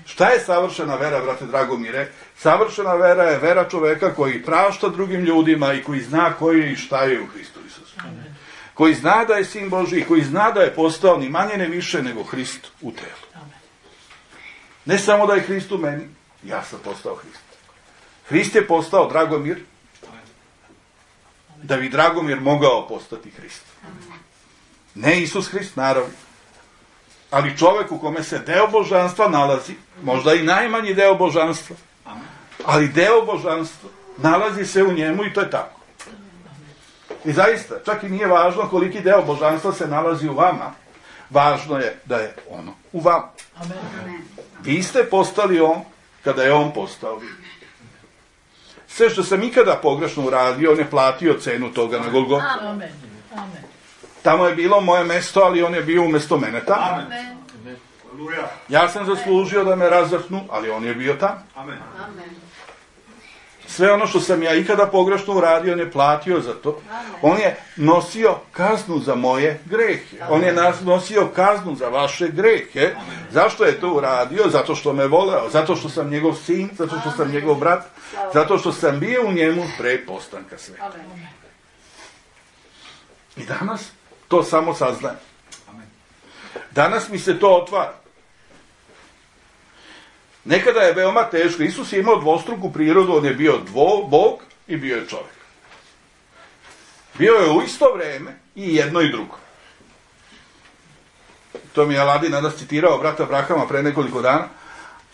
Šta je savršena vera, brate Dragomire? Savršena vera je vera čoveka koji prašta drugim ljudima i koji zna koji je i šta je u Hristu Isusu. Amen. Koji zna da je sin Božji i koji zna da je postao ni manje ne više nego Hrist u telu. Amen. Ne samo da je Hrist u meni, ja sam postao Hrist. Hrist je postao Dragomir, da bi Dragomir mogao postati Hrist. Amen. Ne Isus Hrist, naravno. Ali čovek u kome se deo božanstva nalazi, možda i najmanji deo božanstva, ali deo božanstva nalazi se u njemu i to je tako. I zaista, čak i nije važno koliki deo božanstva se nalazi u vama, važno je da je ono u vama. Vi ste postali on kada je on postao vi. Sve što sam ikada pogrešno uradio, on je platio cenu toga na Golgotu. Amen. Amen. Tamo je bilo moje mesto, ali on je bio umjesto mene tamo. Amen. Ja sam zaslužio da me razvrhnu, ali on je bio tamo. Amen. Sve ono što sam ja ikada pogrešno uradio, on je platio za to. On je nosio kaznu za moje grehe. On je nosio kaznu za vaše grehe. Zašto je to uradio? Zato što me voleo. Zato što sam njegov sin, zato što sam njegov brat. Zato što sam bio u njemu pre postanka sveta. I danas to samo saznajem. Danas mi se to otvara. Nekada je veoma teško. Isus je imao dvostruku prirodu, on je bio dvo, Bog i bio je čovjek. Bio je u isto vreme i jedno i drugo. To mi je Aladin nadas citirao brata Brahama pre nekoliko dana,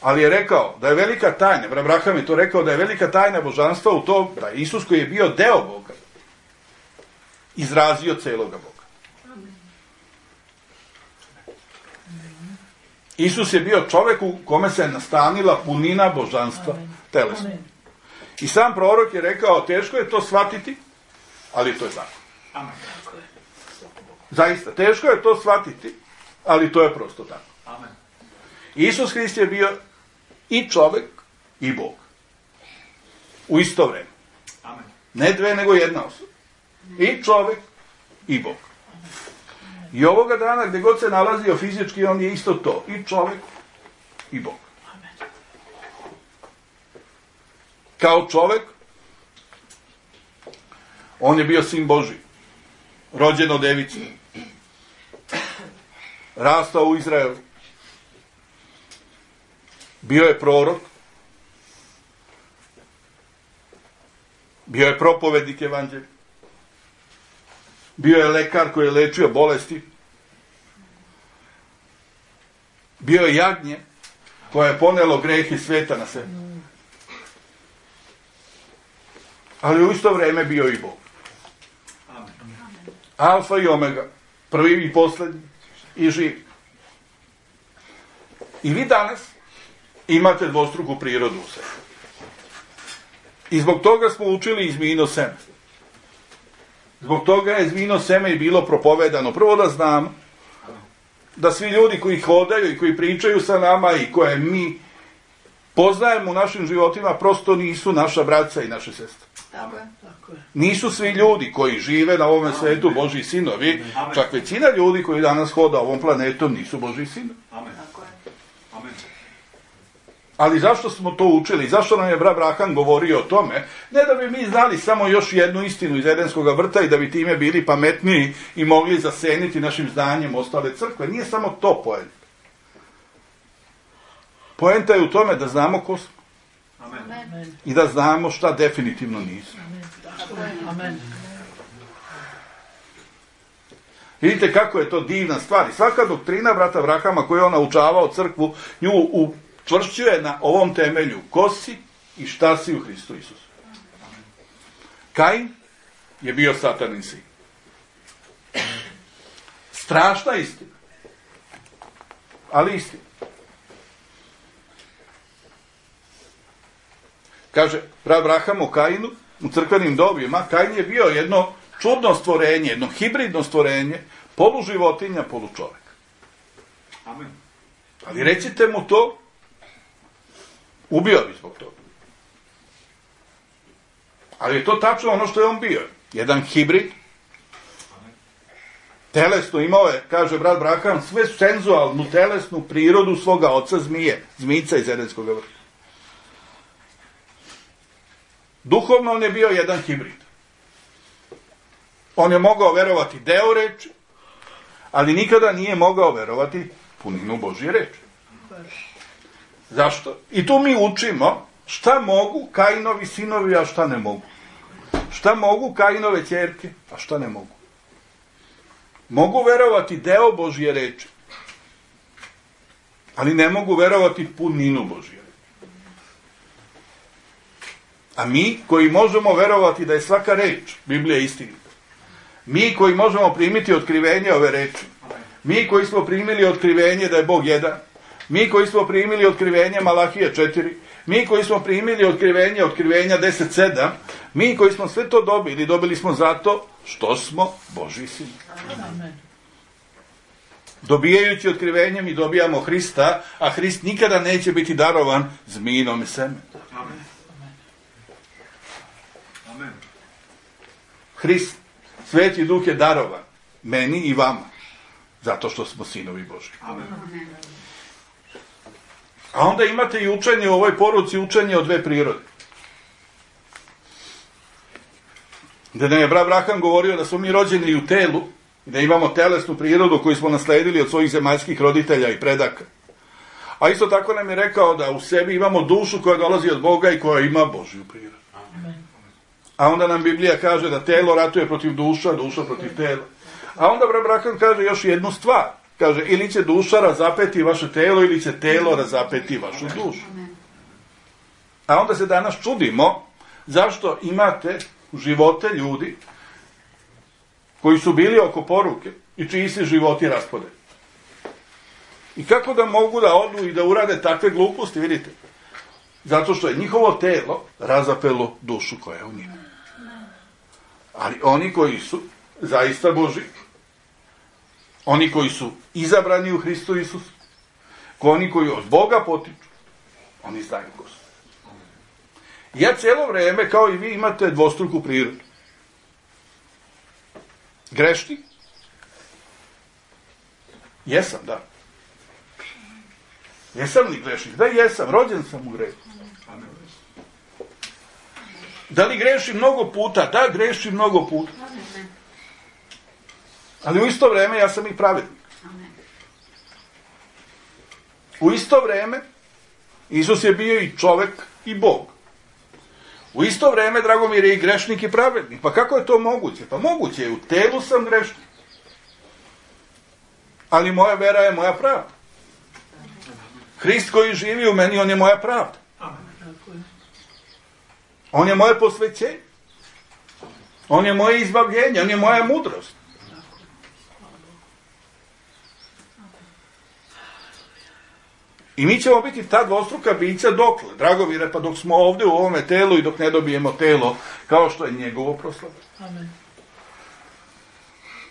ali je rekao da je velika tajna, brat Braham je to rekao, da je velika tajna božanstva u tom da je Isus koji je bio deo Boga izrazio celoga Boga. Isus je bio čovjek u kome se nastanila punina božanstva telesno. I sam prorok je rekao, teško je to shvatiti, ali to je tako. Amen. Zaista, teško je to shvatiti, ali to je prosto tako. Amen. Isus Hrist je bio i čovjek i Bog. U isto vreme. Amen. Ne dve, nego jedna osoba. I čovjek i Bog. I ovoga dana gdje god se nalazio fizički, on je isto to. I čovjek i Bog. Kao čovjek, on je bio sin Božji. Rođen od device. Rastao u Izraelu. Bio je prorok. Bio je propovednik evanđelja. Bio je lekar koji je lečio bolesti. Bio je jagnje koje je ponelo greh i sveta na sebe. Ali u isto vrijeme bio i Bog. Amen. Alfa i omega. Prvi i posljednji. I živi. I vi danas imate dvostruku prirodu u sebi. I zbog toga smo učili i zmijino seme. Zbog toga je zmijino seme i bilo propovedano. Prvo da znamo da svi ljudi koji hodaju i koji pričaju sa nama i koje mi poznajemo u našim životima prosto nisu naša braća i naše sestre. Tako je. Nisu svi ljudi koji žive na ovome svetu Božji sinovi, čak većina ljudi koji danas hoda ovom planetom nisu Božji sinovi. Amen. Tako je. Amen. Ali zašto smo to učili? Zašto nam je brat Abraham govorio o tome? Ne da bi mi znali samo još jednu istinu iz Edenskog vrta i da bi time bili pametniji i mogli zaseniti našim znanjem ostale crkve. Nije samo to poenta. Poenta je u tome da znamo ko smo. Amen. I da znamo šta definitivno nismo. Amen. Vidite kako je to divna stvar. I svaka doktrina brata Abrahama koju je on naučavao crkvu, nju učvršćuje na ovom temelju. Ko si i šta si u Hristu Isusu. Kain je bio satanin sin. Strašna istina. Ali istina. Kaže brat Abraham o Kainu u crkvenim dobima. Kain je bio jedno čudno stvorenje, jedno hibridno stvorenje, polu životinja, polu čovjek. Amen. Ali recite mu to, ubio bi zbog toga. Ali je to tačno ono što je on bio. Jedan hibrid. Telesno imao je, kaže brat Abraham, sve senzualnu, telesnu prirodu svoga oca zmije. Zmijica iz Edenskog vrta. Duhovno on je bio jedan hibrid. On je mogao verovati deo reči, ali nikada nije mogao verovati puninu Božje reči. Zašto? I tu mi učimo šta mogu Kainovi sinovi, a šta ne mogu. Šta mogu Kainove ćerke, a šta ne mogu. Mogu verovati deo Božje reči, ali ne mogu verovati puninu Božje reči. A mi koji možemo verovati da je svaka reč Biblija istinita, mi koji možemo primiti otkrivenje ove reči, mi koji smo primili otkrivenje da je Bog jedan, mi koji smo primili otkrivenje Malahije četiri, mi koji smo primili otkrivenje otkrivenja deset sedam, mi koji smo sve to dobili, dobili smo zato što smo Božji sinovi. Dobijajući otkrivenje mi dobijamo Hrista, a Hrist nikada neće biti darovan zmijinom semenu. Amen. Amen. Hrist, Sveti Duh je darovan meni i vama, zato što smo sinovi Božji. Amen. A onda imate i učenje u ovoj poruci, učenje o dve prirode. Gdje nam je brat Abraham govorio da smo mi rođeni u telu, da imamo telesnu prirodu koju smo nasledili od svojih zemaljskih roditelja i predaka. A isto tako nam je rekao da u sebi imamo dušu koja dolazi od Boga i koja ima Božju prirodu. A onda nam Biblija kaže da telo ratuje protiv duša, duša protiv tela. A onda brat Abraham kaže još jednu stvar. Kaže, ili će duša razapeti vaše telo, ili će telo razapeti vašu dušu. A onda se danas čudimo zašto imate živote ljudi koji su bili oko poruke i čiji se životi raspadaju. I kako da mogu da odu i da urade takve gluposti, vidite? Zato što je njihovo telo razapelo dušu koja je u njima. Ali oni koji su zaista Boži, oni koji su izabrani u Hristu Isusu, oni koji od Boga potiču, oni znaju ko su. Ja cijelo vrijeme, kao i vi, imate dvostruku prirodu. Grešni? Jesam, da. Jesam li grešnik? Da, jesam. Rođen sam u grehu. Da li grešim mnogo puta? Da, grešim mnogo puta. Ali u isto vrijeme ja sam i pravednik. U isto vrijeme Isus je bio i čovjek i Bog. U isto vrijeme, Dragomir, je i grešnik i pravednik. Pa kako je to moguće? Pa moguće je, u telu sam grešnik. Ali moja vera je moja pravda. Hrist koji živi u meni, on je moja pravda. On je moje posvećenje. On je moje izbavljenje, on je moja mudrost. I mi ćemo biti ta dvostruka bića dokle, Dragomire, pa dok smo ovdje u ovome telu i dok ne dobijemo telo, kao što je njegovo proslavljeno. Amen.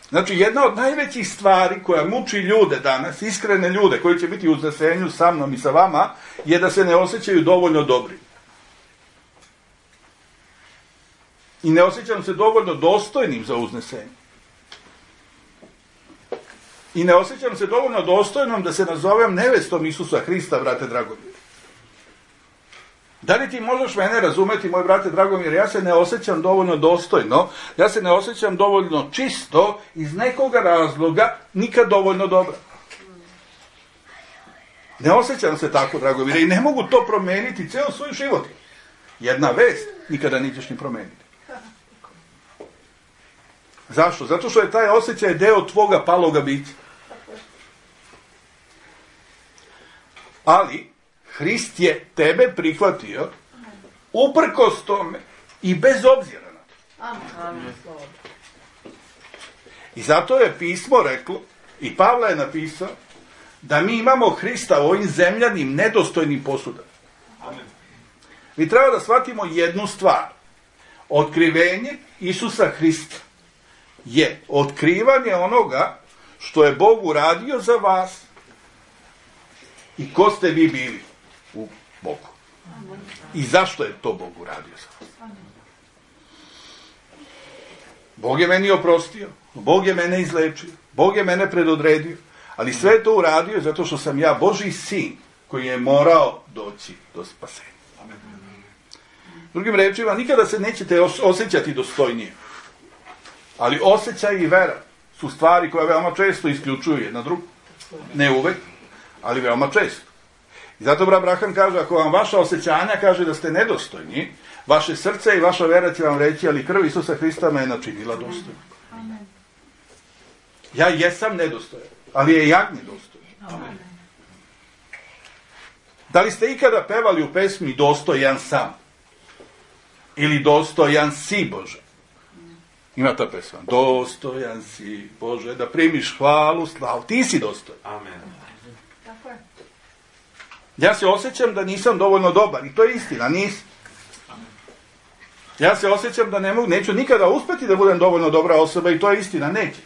Znači, jedna od najvećih stvari koja muči ljude danas, iskrene ljude koji će biti u uznesenju sa mnom i sa vama, je da se ne osjećaju dovoljno dobri. I ne osjećam se dovoljno dostojnim za uznesenje. I ne osjećam se dovoljno dostojnom da se nazovem nevestom Isusa Hrista, brate Dragomir. Da li ti možeš mene razumeti, moj brate Dragomir, ja se ne osjećam dovoljno dostojno, ja se ne osjećam dovoljno čisto, iz nekoga razloga, nikad dovoljno dobro. Ne osjećam se tako, Dragomir, i ne mogu to promijeniti cijel svoj život. Jedna vest nikada nećeš ni promijeniti. Zašto? Zato što je taj osjećaj deo tvoga paloga bića. Ali Hrist je tebe prihvatio uprkos tome i bez obzira na to. Amen. I zato je pismo reklo, i Pavle je napisao, da mi imamo Hrista u ovim zemljanim nedostojnim posudama. Amen. Mi treba da shvatimo jednu stvar. Otkrivenje Isusa Hrista je otkrivanje onoga što je Bog uradio za vas i ko ste vi bili u Bogu. I zašto je to Bog uradio za vas. Bog je meni oprostio, Bog je mene izlečio, Bog je mene predodredio, ali sve je to uradio zato što sam ja Božji sin koji je morao doći do spasenja. Drugim rečima, nikada se nećete osjećati dostojnije. Ali osjećaj i vera su stvari koje veoma često isključuju jedna drugu. Ne uvek, ali veoma često. I zato brat Abraham kaže, ako vam vaša osjećanja kaže da ste nedostojni, vaše srce i vaša vera će vam reći, ali krv Isusa Hrista me je načinila dostojnim. Ja jesam nedostojan, ali je jagnje dostojan. Da li ste ikada pevali u pesmi Dostojan sam? Ili Dostojan si, Bože? Ima ta pesma. Dostojan si, Bože, da primiš hvalu, slavu. Ti si dostojan. Amen. Tako je. Ja se osjećam da nisam dovoljno dobar. I to je istina, nisam. Ja se osjećam da ne mogu, neću nikada uspjeti da budem dovoljno dobra osoba i to je istina, neće.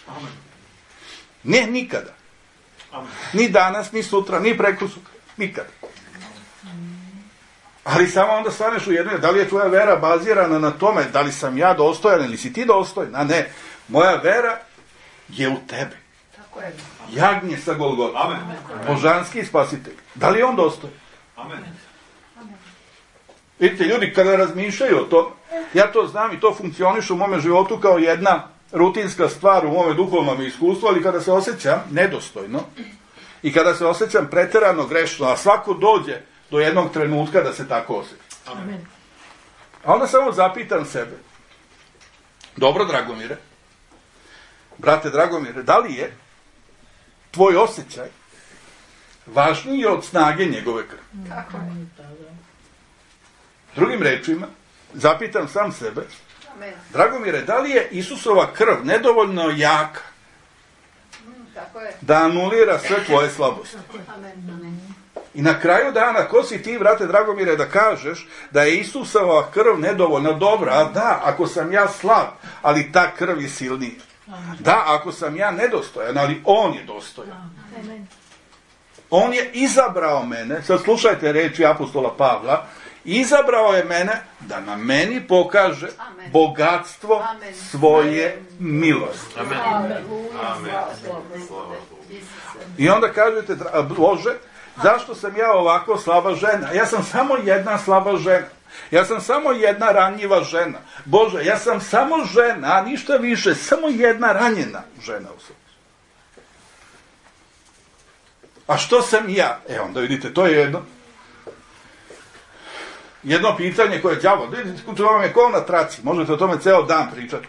Amen. Ne, nikada. Amen. Ni danas, ni sutra, ni prekosutra. Nikada. Ali samo onda staneš u jednoj, da li je tvoja vera bazirana na tome, da li sam ja dostojan ili si ti dostojan, a ne, moja vera je u tebi. Tako je. Jagnje sa Golgota. Amen. Božanski spasitelj. Da li je on dostojan? Amen. Vidite, ljudi kada razmišljaju o tom, ja to znam i to funkcioniše u mome životu kao jedna rutinska stvar u mome duhovnom iskustvu, ali kada se osjećam nedostojno i kada se osjećam preterano grešno, a svako dođe do jednog trenutka da se tako osjeća. Amen. A onda samo zapitam sebe, dobro Dragomire, brate Dragomire, da li je tvoj osjećaj važniji od snage njegove krvi? Tako je. Drugim rečima, zapitam sam sebe, Amen. Dragomire, da li je Isusova krv nedovoljno jaka mm, tako je. Da anulira sve tvoje slabosti? Amen. I na kraju dana, ko si ti, brate Dragomire, da kažeš da je Isusova krv nedovoljno dobra? A da, ako sam ja slab, ali ta krv je silnija. Da, ako sam ja nedostojan, ali on je dostojan. On je izabrao mene, sad slušajte reči apostola Pavla, izabrao je mene da na meni pokaže Amen. bogatstvo Amen. svoje milosti. Amen. Amen. I onda kažete, Bože, zašto sam ja ovako slaba žena? Ja sam samo jedna slaba žena. Ja sam samo jedna ranjiva žena. Bože, ja sam samo žena, a ništa više, samo jedna ranjena žena u sebi. A što sam ja? E onda vidite, to je jedno jedno pitanje koje je đavo, to vam je kao na traci, možete o tome ceo dan pričati.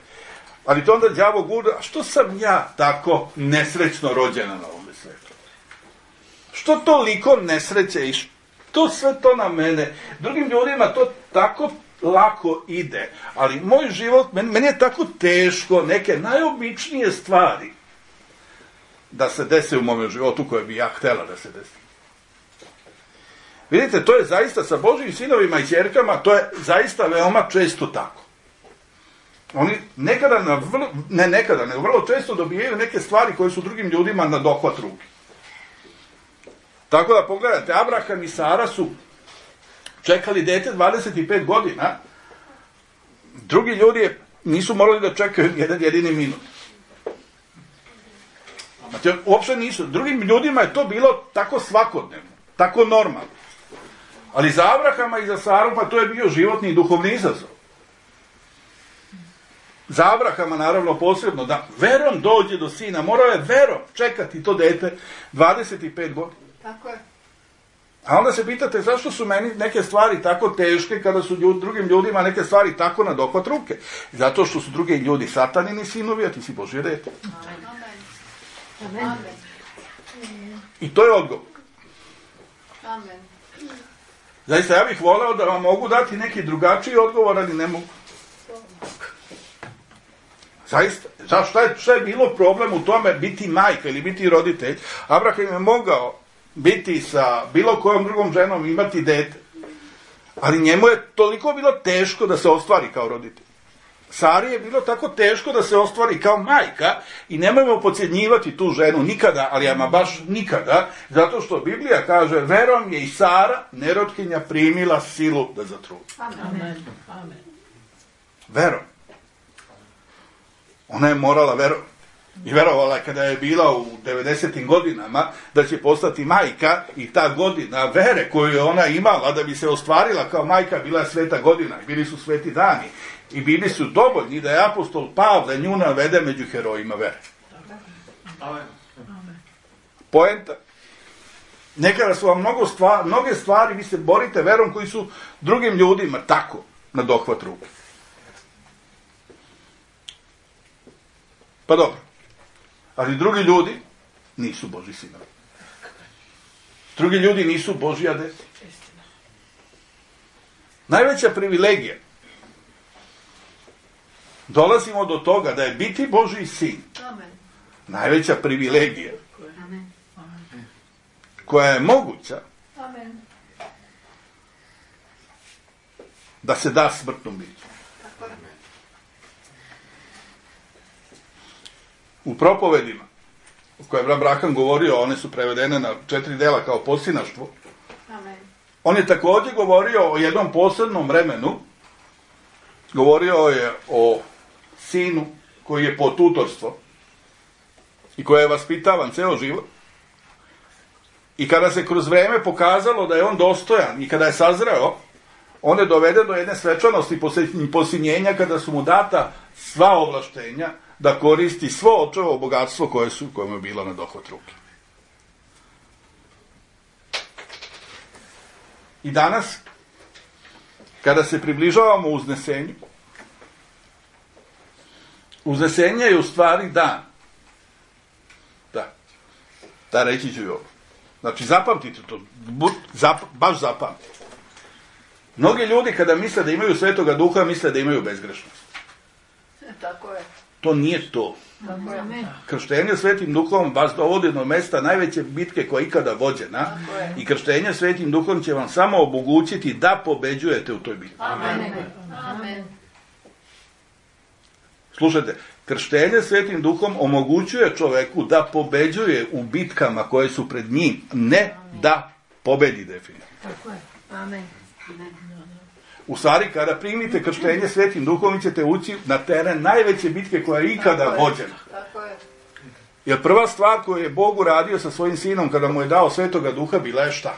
Ali to onda đavo gura, a što sam ja tako nesrećno rođena na ovom svetu? Što toliko nesreće i što sve to na mene? Drugim ljudima to tako lako ide, ali moj život, meni, meni je tako teško neke najobičnije stvari da se dese u mom životu koje bi ja htjela da se desi. Vidite, to je zaista sa Božjim sinovima i ćerkama, to je zaista veoma često tako. Oni nekada, na vrlo, ne nekada, nego vrlo često dobijaju neke stvari koje su drugim ljudima na dohvat ruke. Tako da pogledajte, Abraham i Sara su čekali dete dvadeset pet godina, drugi ljudi nisu morali da čekaju jedan jedini minut. Znači, uopšte nisu. Drugim ljudima je to bilo tako svakodnevno, tako normalno. Ali za Abrahama i za Saru, pa to je bio životni i duhovni izazov. Za Abrahama, naravno, posebno, da verom dođe do sina, morao je verom čekati to dete dvadeset pet godina. Tako je. A onda se pitate zašto su meni neke stvari tako teške kada su ljud, drugim ljudima neke stvari tako na dohvat ruke. Zato što su drugi ljudi satanini sinovi, a ti si Božje dete. Amen. Amen. I to je odgovor. Amen. Zaista, ja bih voleo da vam mogu dati neki drugačiji odgovor, ali ne mogu. Zaista, znaš, šta je, šta je bilo problem u tome biti majka ili biti roditelj? Abraham je mogao biti sa bilo kojom drugom ženom, imati dete. Ali njemu je toliko bilo teško da se ostvari kao roditelj. Sari je bilo tako teško da se ostvari kao majka i nemojmo podcjenjivati tu ženu nikada, ali ama baš nikada, zato što Biblija kaže, verom je i Sara, nerotkinja, primila silu da zatrudi. Amen. Amen. Verom. Ona je morala verovati. I verovala kada je bila u devedesetim godinama da će postati majka i ta godina vere koju je ona imala da bi se ostvarila kao majka bila je sveta godina i bili su sveti dani. I bili su dovoljni da je apostol Pavle nju navede među herojima vere. Amen. Poenta. Nekada su vam mnogo stvari, mnoge stvari, vi se borite verom koji su drugim ljudima tako na dohvat ruke. Pa dobro. Ali drugi ljudi nisu Božji sinovi. Drugi ljudi nisu Božja deca. Najveća privilegija. Dolazimo do toga da je biti Božji sin. Amen. Najveća privilegija. Amen. Koja je moguća Amen. da se da smrtnom biću. Tako je. U propovedima o koje je Abraham govorio, one su prevedene na četiri dela kao posinaštvo. Amen. On je također govorio o jednom posebnom vremenu. Govorio je o sinu koji je pod tutorstvo i koji je vaspitavan ceo život. I kada se kroz vreme pokazalo da je on dostojan i kada je sazreo, on je doveden do jedne svečanosti posinjenja kada su mu data sva ovlaštenja da koristi svo očevo bogatstvo koje su, koje mu je bilo na dohvat ruke. I danas, kada se približavamo uznesenju, uznesenje je u stvari dan. Da. Da, reći ću i ovo. Znači, zapamtite to. Zap, baš zapamtite. Mnogi ljudi kada misle da imaju Svetoga Duha, misle da imaju bezgrešnost. Tako je. To nije to. Amen. Krštenje Svetim Duhom vas dovodi do mesta najveće bitke koja je ikada vođena i krštenje Svetim Duhom će vam samo omogućiti da pobeđujete u toj bitki. Amen. Amen. Slušajte, krštenje Svetim Duhom omogućuje čoveku da pobeđuje u bitkama koje su pred njim, ne da pobedi definitivno. Tako je. Amen. U stvari, kada primite krštenje Svetim Duhom, vi ćete ući na teren najveće bitke koja je ikada vođena. Tako je. Jer prva stvar koju je Bog uradio sa svojim sinom kada mu je dao Svetoga Duha bila je šta?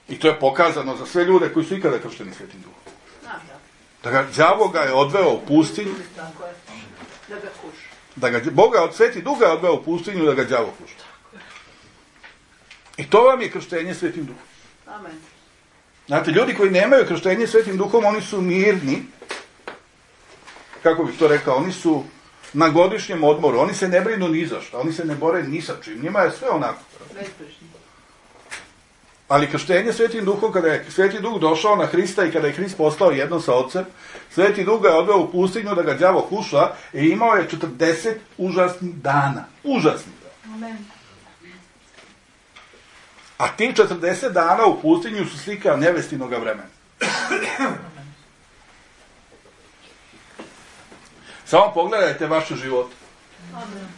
I to je pokazano za sve ljude koji su ikada kršteni Svetim Duhom. Da ga đavo ga je odveo u pustinju, Tako je. Da ga kuša. da ga Boga od Sveti Duh ga je odveo u pustinju da ga đavo kuša. I to vam je krštenje Svetim Duhom. Amen. Znate, ljudi koji nemaju krštenje Svetim Duhom, oni su mirni, kako bih to rekao, oni su na godišnjem odmoru, oni se ne brinu ni za što, oni se ne bore ni sa čim, njima je sve onako. Bezbrižni. Ali krštenje Svetim Duhom, kada je Sveti Duh došao na Hrista i kada je Hrist postao jedno sa Otcem, Sveti Duh ga je odveo u pustinju da ga đavo kuša i imao je četrdeset užasnih dana. Užasnih dana. Amen. A tih četrdeset dana u pustinju su slika nevestinoga vremena. Samo pogledajte vaše živote. Amen.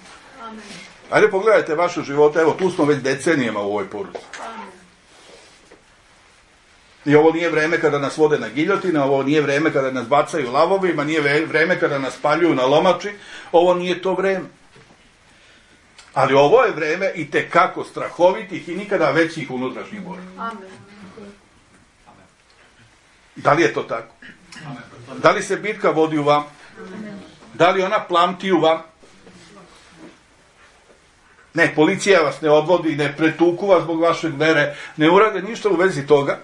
Amen. Ajde pogledajte vaše živote, evo tu smo već decenijama u ovoj poruci. Amen. I ovo nije vreme kada nas vode na giljotine, ovo nije vreme kada nas bacaju lavovima, nije vreme kada nas spaljuju na lomači, ovo nije to vreme. Ali ovo je vreme i tekako strahovitih i nikada većih unutrašnjih borbi. Amen. Da li je to tako? Da li se bitka vodi u vam? Da li ona plamti u vam? Ne, policija vas ne odvodi, ne pretuku vas zbog vašeg vere, ne urade ništa u vezi toga,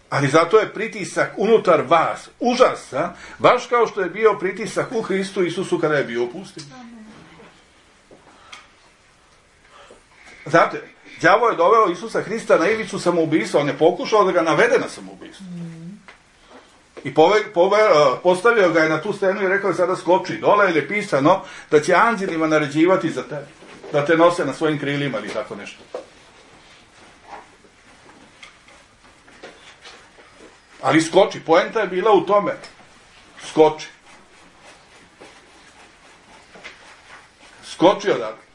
ali zato je pritisak unutar vas užasan, baš kao što je bio pritisak u Hristu Isusu kada je bio u pustinji. Znate, đavo je doveo Isusa Hrista na ivicu samoubistva, on je pokušao da ga navede na samoubistvo. I pove, pove, postavio ga je na tu stenu i rekao je sada skoči dole, jer je pisano da će anđelima naređivati za tebe, da te nose na svojim krilima ili tako nešto. Ali skoči, poenta je bila u tome. Skoči. Skoči odakle.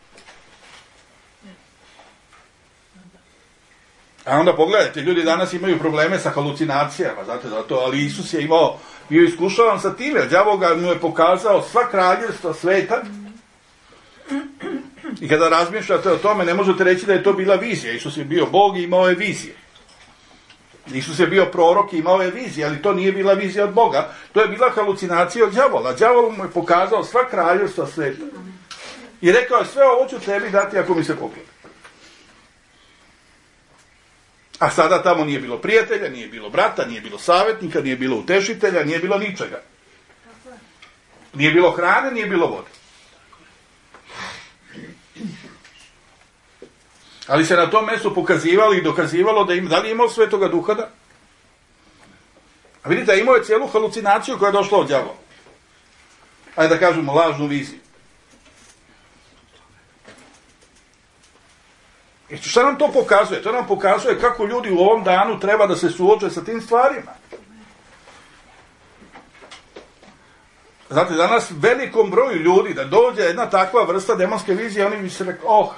A onda pogledajte, ljudi danas imaju probleme sa halucinacijama, znate zato, ali Isus je imao, bio iskušavan sa time, jer đavo ga mu je pokazao sva kraljevstva sveta. I kada razmišljate o tome, ne možete reći da je to bila vizija. Isus je bio Bog i imao je vizije. Isus je bio prorok i imao je vizije, ali to nije bila vizija od Boga. To je bila halucinacija od đavola. Đavol mu je pokazao sva kraljevstva sveta. I rekao je, sve ovo ću tebi dati ako mi se pokloni. A sada tamo nije bilo prijatelja, nije bilo brata, nije bilo savjetnika, nije bilo utešitelja, nije bilo ničega. Nije bilo hrane, nije bilo vode. Ali se na tom mjestu pokazivalo i dokazivalo da im, da li je imao Svetoga Duha da? A vidite, imao je cijelu halucinaciju koja je došla od đavola. Ajde da kažemo, lažnu viziju. I šta nam to pokazuje? To nam pokazuje kako ljudi u ovom danu treba da se suoče sa tim stvarima. Znate, danas velikom broju ljudi da dođe jedna takva vrsta demonske vizije, oni bi se rekli, oh,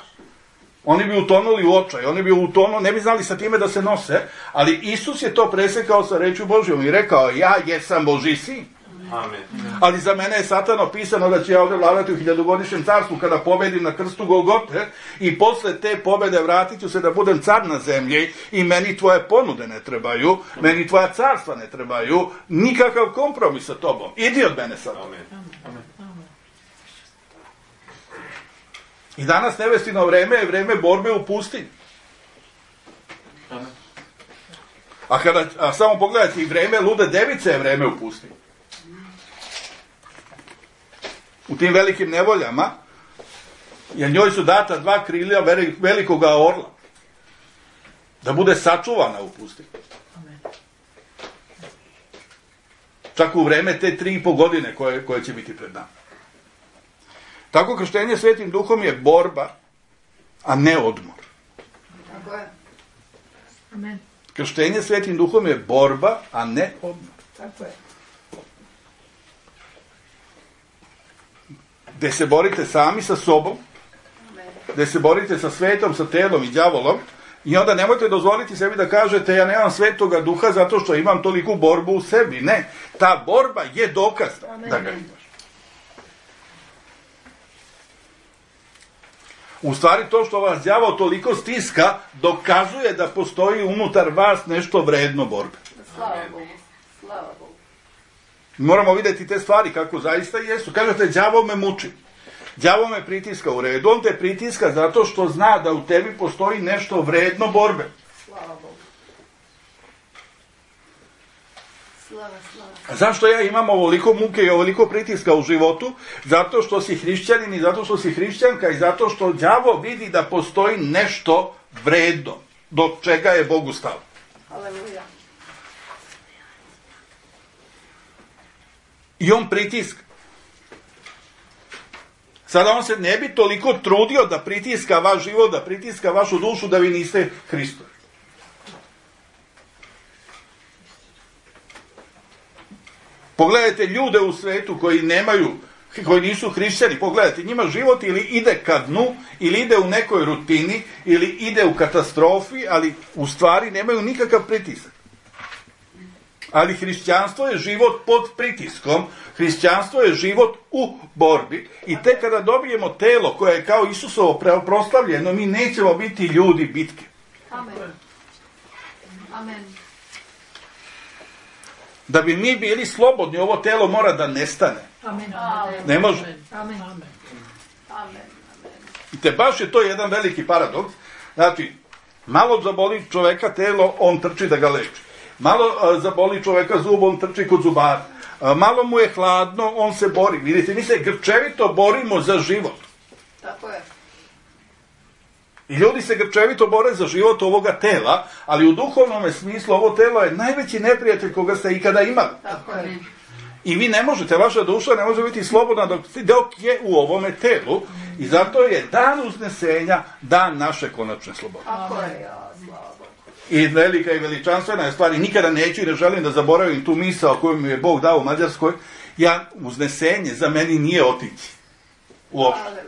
oni bi utonuli u očaj, oni bi utonuli, ne bi znali sa time da se nose, ali Isus je to presekao sa rečju Božjom i rekao, ja jesam Božji sin. Amen. Ali za mene je Satano pisano da će ja ovdje vladati u hiljadugodišnjem carstvu kada pobedim na krstu Golgote i posle te pobede vratit ću se da budem car na zemlji i meni tvoje ponude ne trebaju, meni tvoja carstva ne trebaju, nikakav kompromis sa tobom. Idi od mene sad. Amen. I danas nevestino vreme je vreme borbe u pustinji. A, kada, a samo pogledajte, i vreme lude device je vreme u pustinji. U tim velikim nevoljama, jer njoj su data dva krilja velikoga orla. Da bude sačuvana u pustinji. čak u vreme te tri i po godine koje, koje će biti pred nama. Tako krštenje Svetim Duhom je borba, a ne odmor. Tako je. Amen. Krštenje Svetim Duhom je borba, a ne odmor. Tako je. Gde se borite sami sa sobom, gde se borite sa svetom, sa telom i đavolom, i onda nemojte dozvoliti sebi da kažete ja nemam Svetoga Duha zato što imam toliku borbu u sebi. Ne, ta borba je dokaz da ga imaš. U stvari to što vas đavol toliko stiska dokazuje da postoji unutar vas nešto vredno borbe. Slava Bogu. Slava Bogu. Moramo vidjeti te stvari kako zaista jesu. Kažete, đavol me muči. Đavol me pritiska u redu. On te pritiska zato što zna da u tebi postoji nešto vredno borbe. Slava Bogu. Slava, slava. A zašto ja imam ovoliko muke i ovoliko pritiska u životu? Zato što si hrišćanin i zato što si hrišćanka i zato što đavol vidi da postoji nešto vredno do čega je Bogu stalo. Aleluja. I on pritiska. Sada on se ne bi toliko trudio da pritiska vaš život, da pritiska vašu dušu, da vi niste Hristovi. Pogledajte ljude u svetu koji nemaju, koji nisu hrišćani, pogledajte, njima život ili ide ka dnu, ili ide u nekoj rutini, ili ide u katastrofi, ali u stvari nemaju nikakav pritisak. Ali hrišćanstvo je život pod pritiskom, hrišćanstvo je život u borbi i tek kada dobijemo telo koje je kao Isusovo proslavljeno, mi nećemo biti ljudi bitke. Amen. Amen. Da bi mi bili slobodni, ovo telo mora da nestane. Amen. Ne može. Amen. Amen. Amen. I te baš je to jedan veliki paradoks. Znači, malo zaboli čoveka telo, on trči da ga leči. Malo a, zaboli čoveka zub, on trči kod zubara. A, malo mu je hladno, on se bori. Vidite, mi se grčevito borimo za život. Tako je. I ljudi se grčevito bore za život ovoga tela, ali u duhovnom smislu ovo telo je najveći neprijatelj koga ste ikada imali. Tako je. I vi ne možete, vaša duša ne može biti slobodna dok, dok je u ovome telu i zato je dan uznesenja dan naše konačne slobode. Tako je, ja, slava Bogu. I velika i veličanstvena je stvar i nikada neću i ne želim da zaboravim tu misao koju mi je Bog dao u Mađarskoj. Ja, uznesenje za meni nije otići. Uopšte.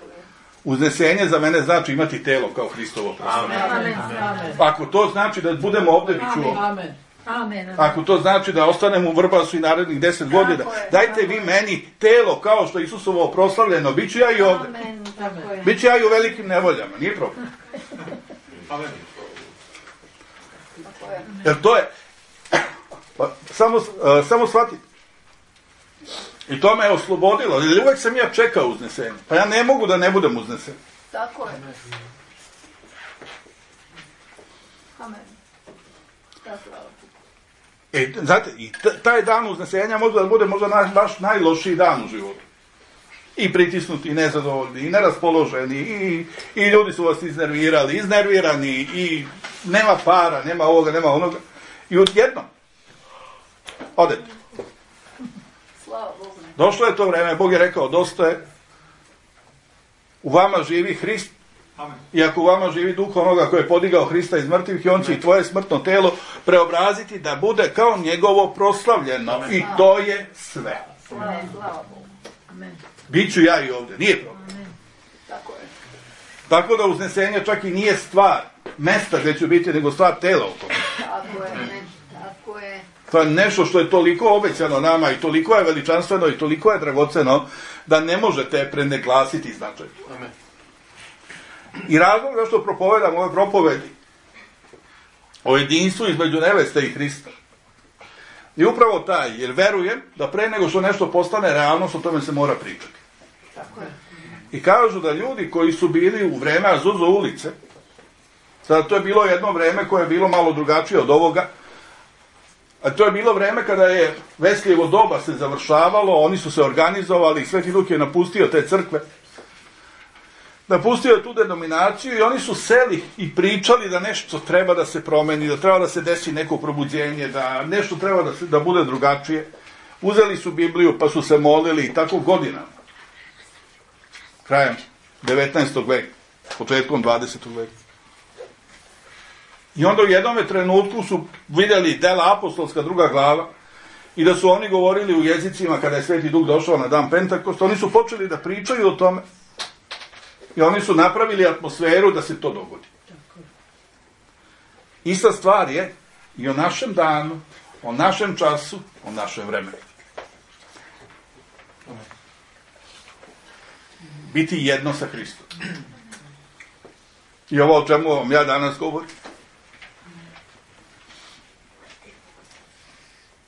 Uznesenje za mene znači imati telo kao Hristovo proslavljenje. Amen. Amen. Ako to znači da budemo ovdje, bit ću ovdje. Amen. Amen. Ako to znači da ostanemo u Vrbasu i narednih deset godina, dajte vi meni telo kao što je Isusovo proslavljeno, bit ću ja i ovdje. Amen. Tako je. Bit ću ja i u velikim nevoljama, nije problem. Amen. Tako je. Jer to je, pa, samo, uh, samo shvatite. I to me je oslobodilo, jer uvijek sam ja čekao uznesenje. Pa ja ne mogu da ne budem uznesen. Tako je. Amen. Da, slava. E, znate, i taj dan uznesenja može da bude možda naš, baš najlošiji dan u životu. I pritisnuti, i nezadovoljni, i neraspoloženi, i, i ljudi su vas iznervirali, iznervirani, i nema para, nema ovoga, nema onoga. I odjednom, odete. Slava Bogu. Došlo je to vreme, Bog je rekao, dosta je, u vama živi Hrist, Amen. i ako u vama živi duh onoga koji je podigao Hrista iz mrtvih, i on će i tvoje smrtno telo preobraziti da bude kao njegovo proslavljeno. Amen. I to je sve. Slava, slava Bogu. Amen. Biću ja i ovdje, nije problem. Amen. Tako je. Tako da uznesenje čak i nije stvar mesta gdje ću biti, nego stvar tela u tome. Tako je. Amen. Tako je. To je nešto što je toliko obećano nama i toliko je veličanstveno i toliko je dragoceno da ne možete preneglasiti značaj. Amen. I razlog zašto propovedam ove propovedi o jedinstvu između neveste i Hrista je upravo taj, jer verujem da pre nego što nešto postane realnost, o tome se mora pričati. Tako je. I kažu da ljudi koji su bili u vreme Azuzo ulice, sada to je bilo jedno vreme koje je bilo malo drugačije od ovoga, a to je bilo vreme kada je Veslijevo doba se završavalo, oni su se organizovali, Sveti Luk je napustio te crkve, napustio je tu denominaciju i oni su seli i pričali da nešto treba da se promeni, da treba da se desi neko probuđenje, da nešto treba da, se, da bude drugačije. Uzeli su Bibliju pa su se molili i tako godinama. Krajem devetnaestog veka, početkom dvadesetog veka. I onda u jednom trenutku su vidjeli dela apostolska druga glava i da su oni govorili u jezicima kada je Sveti Duh došao na dan Pentakosta. Oni su počeli da pričaju o tome i oni su napravili atmosferu da se to dogodi. Ista stvar je i o našem danu, o našem času, o našem vremenu. Biti jedno sa Hristom. I ovo o čemu vam ja danas govorim.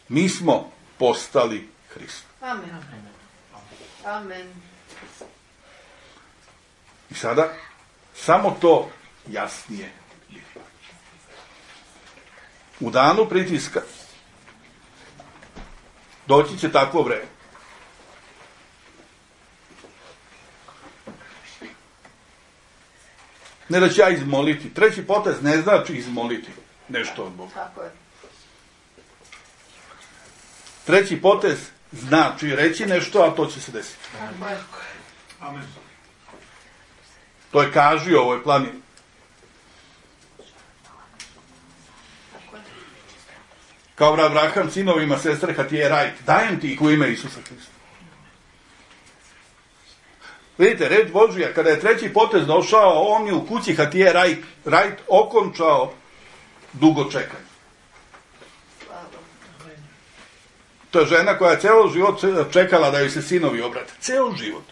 Mi smo postali Hrist. Amen. Amen. I sada samo to jasnije je. U danu pritiska doći će takvo vreme. Ne da ću ja izmoliti. Treći potez ne znači izmoliti nešto od Boga. Tako je. Treći potez znači reći nešto, a to će se desiti. Tako je. Amen. To je kaži u ovoj planini. Tako je. Kao Abraham sinovima sestre Hatije Rajt. Dajem ti ih u ime Isusa Hrista. Vidite, reč Božja, kada je treći potez došao, on je u kući Hatije Rajt, Rajt okončao dugo čekanje. To je žena koja je ceo život čekala da joj se sinovi obrate. Ceo život.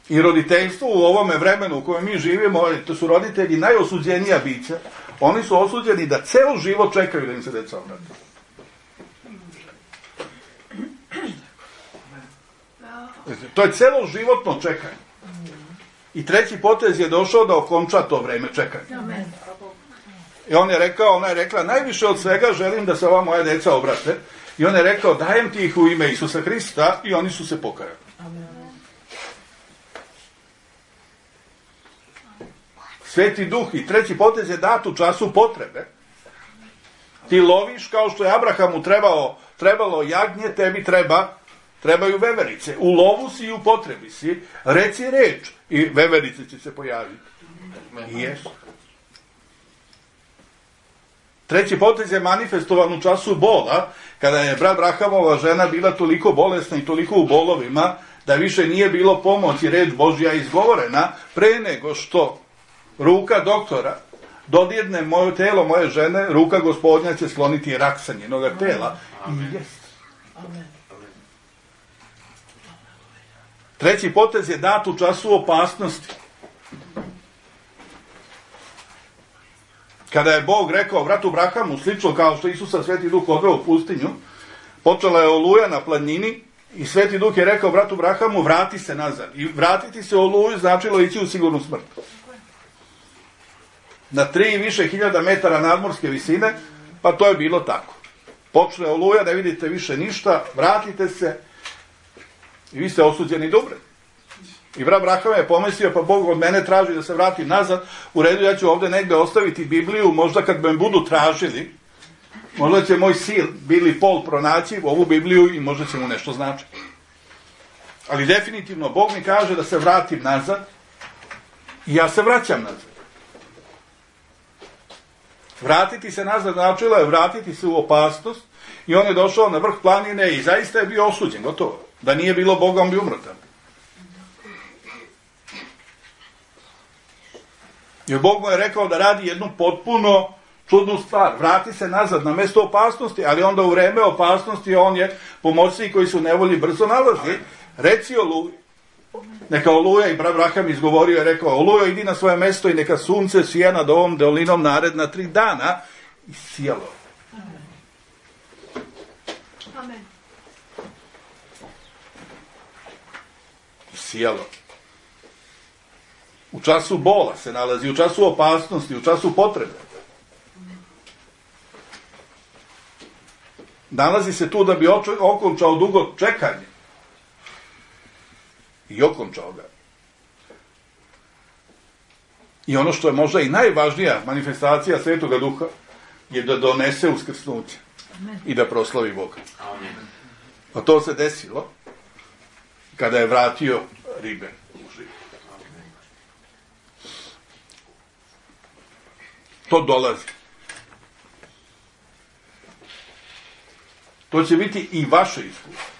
I roditeljstvo u ovome vremenu u kojem mi živimo, to su roditelji najosuđenija bića. Oni su osuđeni da ceo život čekaju da im se deca obrate. To je celo životno čekanje. I treći potez je došao da okonča to vreme čekanja. Amen. I on je rekao, ona je rekla, najviše od svega želim da se ova moja deca obrate. I on je rekao, dajem ti ih u ime Isusa Hrista, i oni su se pokajali. Sveti Duh i treći potez je dat u času potrebe. Ti loviš kao što je Abrahamu trebalo, trebalo jagnje, tebi treba, trebaju veverice. U lovu si i u potrebi si, reci reč i veverice će se pojaviti. I jesu. Treći potez je manifestovan u času bola, kada je brat Brahamova žena bila toliko bolesna i toliko u bolovima, da više nije bilo pomoći, reč Božja izgovorena, pre nego što ruka doktora dodirne moje telo moje žene, ruka Gospodnja će skloniti rak sa njenoga tela. I jest. Treći potez je dat u času opasnosti. Kada je Bog rekao bratu Brahamu, slično kao što Isusa Sveti Duh odveo u pustinju, počela je oluja na planini i Sveti Duh je rekao bratu Brahamu, vrati se nazad. I vratiti se u oluju značilo ići u sigurnu smrt. Na tri i više hiljada metara nadmorske visine, pa to je bilo tako. Počne oluja, ne vidite više ništa, vratite se i vi ste osuđeni dobro. I brat Braham je pomislio, pa Bog od mene traži da se vratim nazad, u redu, ja ću ovdje negdje ostaviti Bibliju, možda kad me budu tražili, možda će moj sin Billy Paul pronaći ovu Bibliju i možda će mu nešto značiti. Ali definitivno Bog mi kaže da se vratim nazad i ja se vraćam nazad. Vratiti se nazad značilo je vratiti se u opasnost i on je došao na vrh planine i zaista je bio osuđen, gotovo. Da nije bilo Boga, on bi umro tamo. Jer Bog mu je rekao da radi jednu potpuno čudnu stvar. Vrati se nazad na mjesto opasnosti, ali onda u vreme opasnosti on je pomoćnik koji su u nevolji brzo nalazi. Reci Oluji. Neka Oluja, i brat Braham izgovorio je rekao, Olujo, idi na svoje mjesto i neka sunce sija nad ovom dolinom naredna tri dana. I sijalo. Amen. I sijalo. U času bola se nalazi, u času opasnosti, u času potrebe. Nalazi se tu da bi okončao dugo čekanje. I okončao ga. I ono što je možda i najvažnija manifestacija Svetoga Duha je da donese uskrsnuće. i da proslavi Boga. A to se desilo kada je vratio ribe u život. To dolazi. To će biti i vaše iskustvo.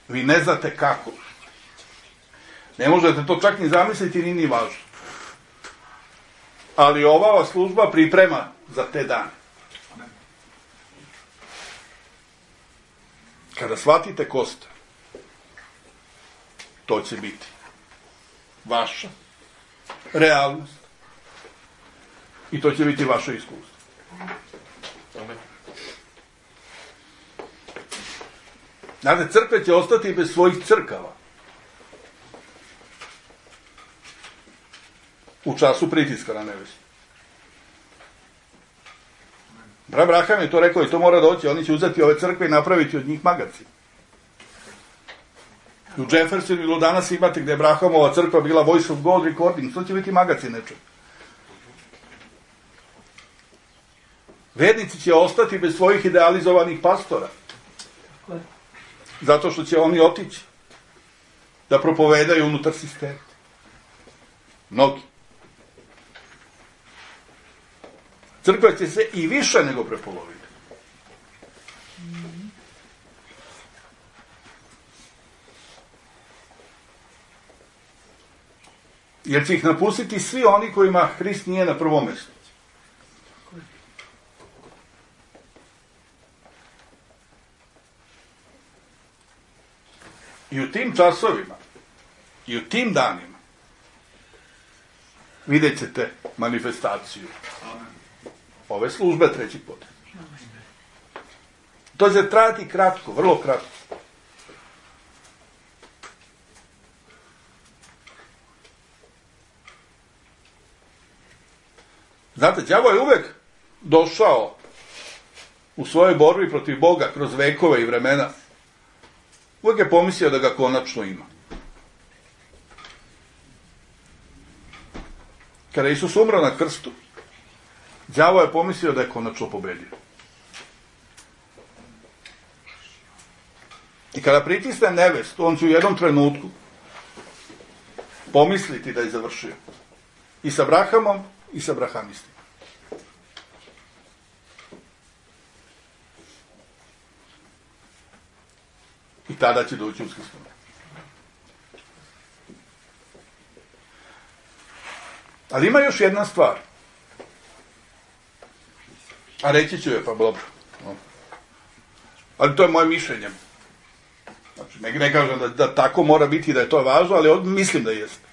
Vi ne znate kako. Ne možete to čak ni zamisliti, ni ni važno. Ali ova vas služba priprema za te dane. Kada shvatite ko ste, to će biti vaša realnost i to će biti vaše iskustvo. Znate, crkve će ostati bez svojih crkava u času pritiska na nevestu. Brat Braham je to rekao i to mora doći. Oni će uzeti ove crkve i napraviti od njih magacin. U Jeffersonu ili danas imate gde je Brahamova crkva bila Voice of God Recording. To će biti magacin nečeg. Vernici će ostati bez svojih idealizovanih pastora. Zato što će oni otići da propovedaju unutar sistema. Mnogi. Crkva će se i više nego prepoloviti. Jer će ih napustiti svi oni kojima Hrist nije na prvom mjestu. I u tim časovima, i u tim danima, vidjet ćete manifestaciju ove službe treći put. To će trajati kratko, vrlo kratko. Znate, đavo je uvek došao u svojoj borbi protiv Boga kroz vekove i vremena. Uvijek je pomislio da ga konačno ima. Kada je Isus umro na krstu, đavo je pomislio da je konačno pobedio. I kada pritisne nevestu, on će u jednom trenutku pomisliti da je završio. I sa Abrahamom, i sa abrahamistima. I tada će doći uskrsnuti. Ali ima još jedna stvar. A reći ću je, pa dobro. Ali to je moje mišljenje. Znači, ne, ne kažem da, da tako mora biti, da je to važno, ali mislim da jeste.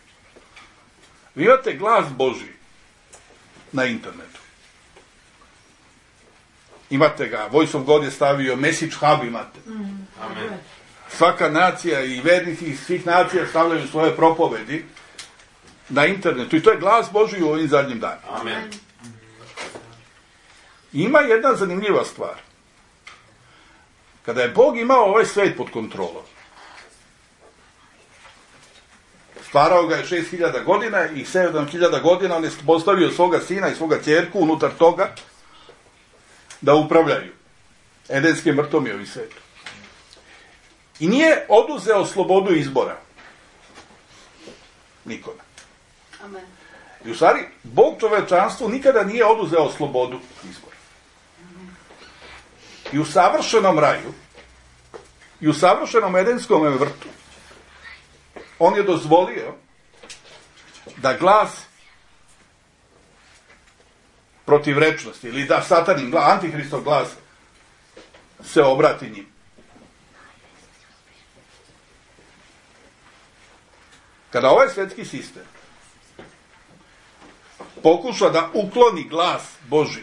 Vi imate glas Božji na internetu. Imate ga, Voice of God je stavio, Message Hub imate. Amen. Svaka nacija i vernici iz svih nacija stavljaju svoje propovedi na internetu. I to je glas Božji u ovim zadnjim danima. Amen. Ima jedna zanimljiva stvar. Kada je Bog imao ovaj svet pod kontrolom, stvarao ga je šest hiljada godina i sedam hiljada godina on je postavio svoga sina i svoga ćerku unutar toga da upravljaju edenskim vrtom i ovim svetom. I nije oduzeo slobodu izbora nikome. Amen. I u stvari, Bog čovečanstvu nikada nije oduzeo slobodu izbora. I u savršenom raju, i u savršenom edenskom vrtu, on je dozvolio da glas protivrečnosti, ili da satanin glas, antihristov glas, se obrati njim. Kada ovaj svetski sistem pokuša da ukloni glas Božji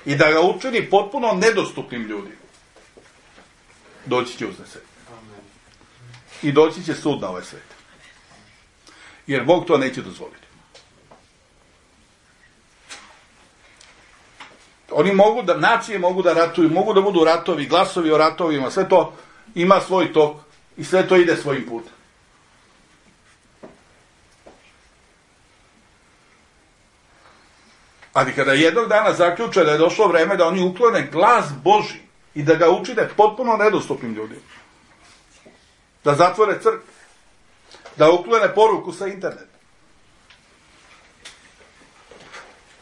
i da ga učini potpuno nedostupnim ljudima, doći će uznesenje. I doći će sud na ovaj svet. Jer Bog to neće dozvoliti. Oni mogu da, nacije mogu da ratuju, mogu da budu ratovi, glasovi o ratovima, sve to ima svoj tok i sve to ide svojim putem. Ali kada jednog dana zaključe da je došlo vreme da oni uklone glas Božji i da ga učine potpuno nedostupnim ljudima, da zatvore crkvu, da uklone poruku sa interneta,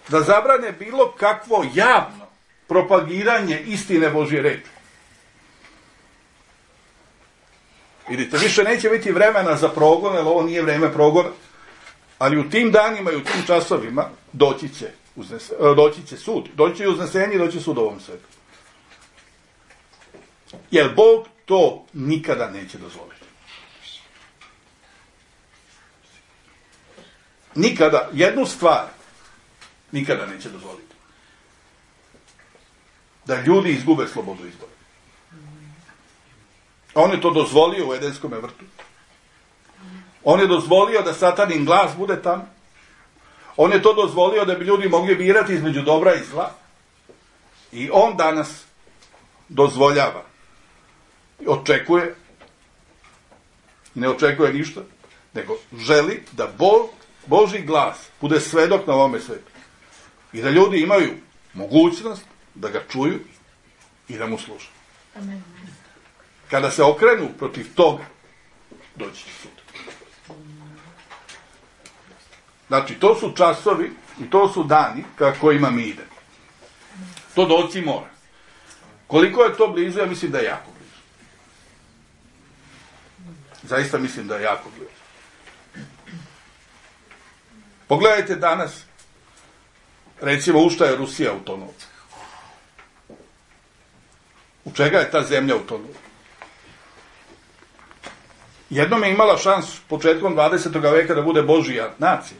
da zabrane bilo kakvo javno propagiranje istine Božje reči. Vidite, više neće biti vremena za progon, jer ovo nije vreme progona, ali u tim danima i u tim časovima doći će, uznese, doći će sud, doći će uznesenje i doći sud ovom svetu. Jer Bog to nikada neće dozvoliti. Nikada, jednu stvar nikada neće dozvoliti. Da ljudi izgube slobodu izbora. On je to dozvolio u Edenskom vrtu. On je dozvolio da satanin glas bude tamo. On je to dozvolio da bi ljudi mogli birati između dobra i zla. I on danas dozvoljava. Očekuje, ne očekuje ništa, nego želi da Bog, Božji glas bude svedok na ovome svetu. I da ljudi imaju mogućnost da ga čuju i da mu slušaju. Amen. Kada se okrenu protiv toga, doći će sud. Znači, to su časovi i to su dani ka kojima mi idemo. To doći mora. Koliko je to blizu, ja mislim da je jako blizu. Zaista mislim da je jako blizu. Pogledajte danas, recimo, u šta je Rusija utonula. U čega je ta zemlja utonula? Jednom je imala šans početkom dvadesetog veka da bude Božija nacija.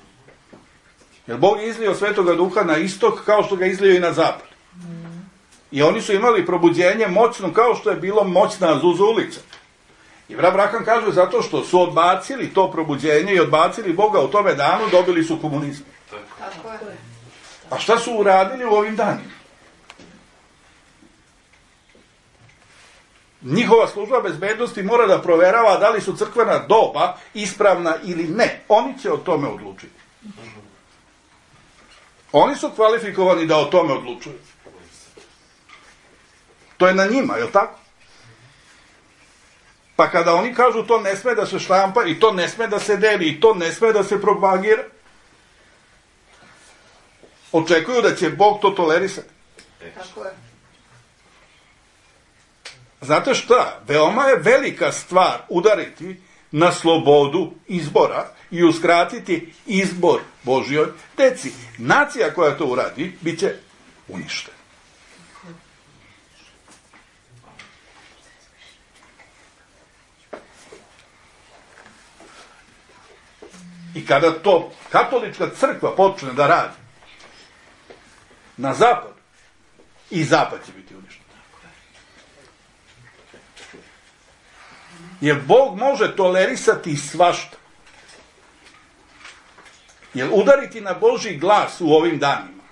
Jer Bog je izlio Svetoga Duha na istok kao što ga izlio i na zapad. I oni su imali probuđenje moćno kao što je bilo moćna Azuza ulica. I Abraham kaže zato što su odbacili to probuđenje i odbacili Boga u tome danu, dobili su komunizam. Tako je. A šta su uradili u ovim danima? Njihova služba bezbednosti mora da proverava da li su crkvena doba ispravna ili ne. Oni će o tome odlučiti. Oni su kvalifikovani da o tome odlučuju. To je na njima, je li tako? Pa kada oni kažu to ne sme da se štampa i to ne sme da se deli i to ne sme da se propagira, očekuju da će Bog to tolerisati. Tako je. Znate šta? Veoma je velika stvar udariti na slobodu izbora i uskratiti izbor Božjoj deci. Nacija koja to uradi, bit će uništena. I kada to katolička crkva počne da radi na zapadu, i zapad će biti uništen. Jer Bog može tolerisati svašta. Jer udariti na Božji glas u ovim danima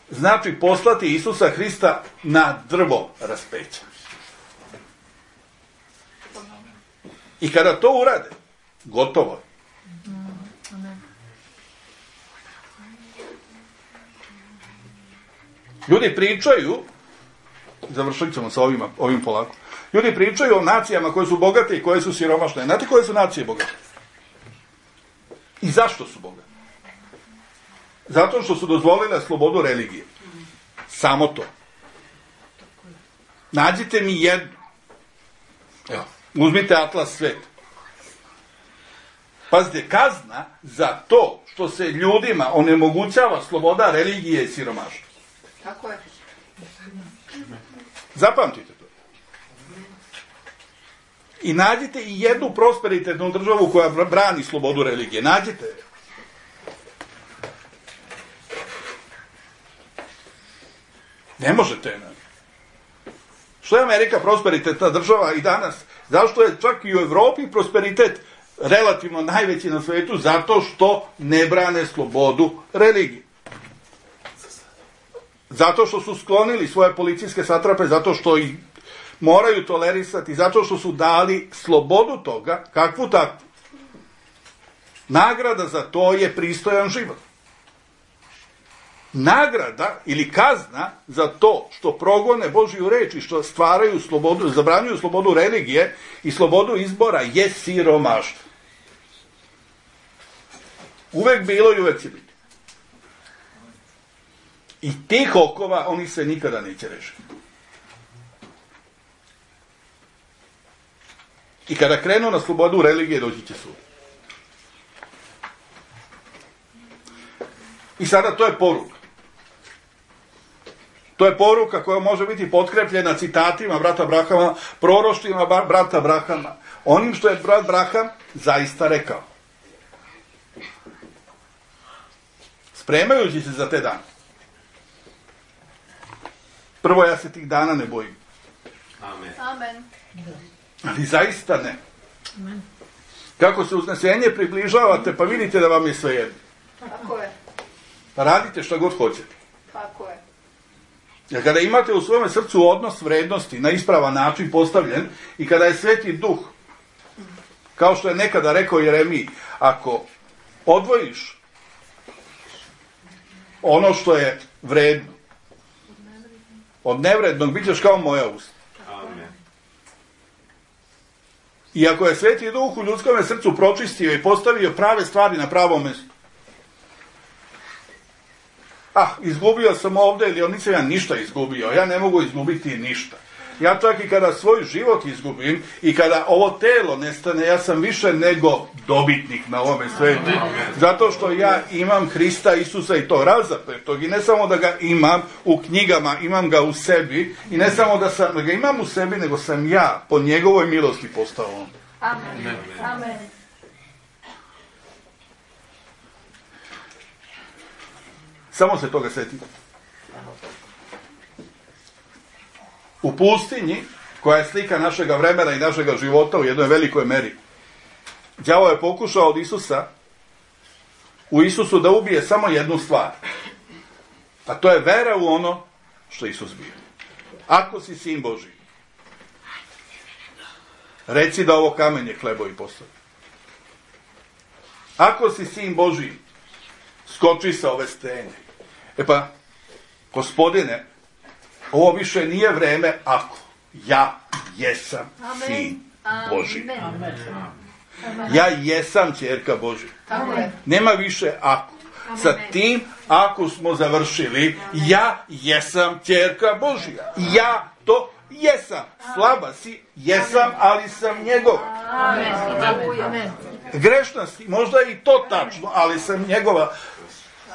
znači poslati Isusa Hrista na drvo raspeća. I kada to urade, gotovo je. Ljudi pričaju, završit ćemo sa ovim, ovim polako, ljudi pričaju o nacijama koje su bogate i koje su siromašne. Znate koje su nacije bogate? I zašto su bogate? Zato što su dozvolile slobodu religije. Samo to. Nađite mi jednu. Evo, uzmite atlas sveta. Pazite, kazna za to što se ljudima onemogućava sloboda religije i siromaštva. Tako je. Zapamtite to. I nađite i jednu prosperitetnu državu koja brani slobodu religije. Nađite je. Ne možete je naći. Što je Amerika prosperitetna država i danas? Zašto je čak i u Evropi prosperitet relativno najveći na svetu? Zato što ne brane slobodu religije. Zato što su sklonili svoje policijske satrape, zato što ih moraju tolerisati, zato što su dali slobodu toga, kakvu takvu. Nagrada za to je pristojan život. nagrada ili kazna za to što progone Božju reč i što stvaraju slobodu, zabranjuju slobodu religije i slobodu izbora je siromaštvo. Uvek bilo i uvek će biti. I tih okova oni se nikada neće rešiti. I kada krenu na slobodu religije, doći će sud. I sada to je poruka. To je poruka koja može biti potkrepljena citatima brata Abrahama, proroštvima brata Abrahama, onim što je brat Abraham zaista rekao. Spremajući se za te dane. Prvo, ja se tih dana ne bojim. Amen. Amen. Ali zaista ne. Kako se uznesenje približavate, pa vidite da vam je sve jedno. Tako je. Pa radite što god hoćete. Tako je. Jer kada imate u svome srcu odnos vrednosti na ispravan način postavljen i kada je Sveti Duh, kao što je nekada rekao Jeremiji, ako odvojiš ono što je vredno od nevrednog, bit ćeš kao moja usta. Amen. I ako je Sveti Duh u ljudskom srcu pročistio i postavio prave stvari na pravom mjestu, ah, izgubio sam ovdje ili nisam ja ništa izgubio, ja ne mogu izgubiti ništa. Ja čak i kada svoj život izgubim i kada ovo telo nestane, ja sam više nego dobitnik na ovome svetu. Zato što ja imam Hrista Isusa i to razapetog. I ne samo da ga imam u knjigama, imam ga u sebi. I ne samo da, sam, da ga imam u sebi, nego sam ja po njegovoj milosti postao on. Amen. Amen. Samo se toga setite. U pustinji, koja je slika našega vremena i našega života u jednoj velikoj meri, đavo je pokušao od Isusa, u Isusu da ubije samo jednu stvar. A to je vera u ono što Isus bio. Ako si sin Božji, reci da ovo kamenje hlebovi postavi. Ako si sin Božji, skoči sa ove stene. E pa, Gospodine, ovo više nije vreme ako. Ja jesam Amen. sin Božji. Amen. Ja jesam ćerka Božja. Tako je. Nema više ako. Sa tim ako smo završili, ja jesam ćerka Božja. Ja to jesam. Slaba si, jesam, ali sam njegova. Amen. Amen. Grešna si, možda i to tačno, ali sam njegova.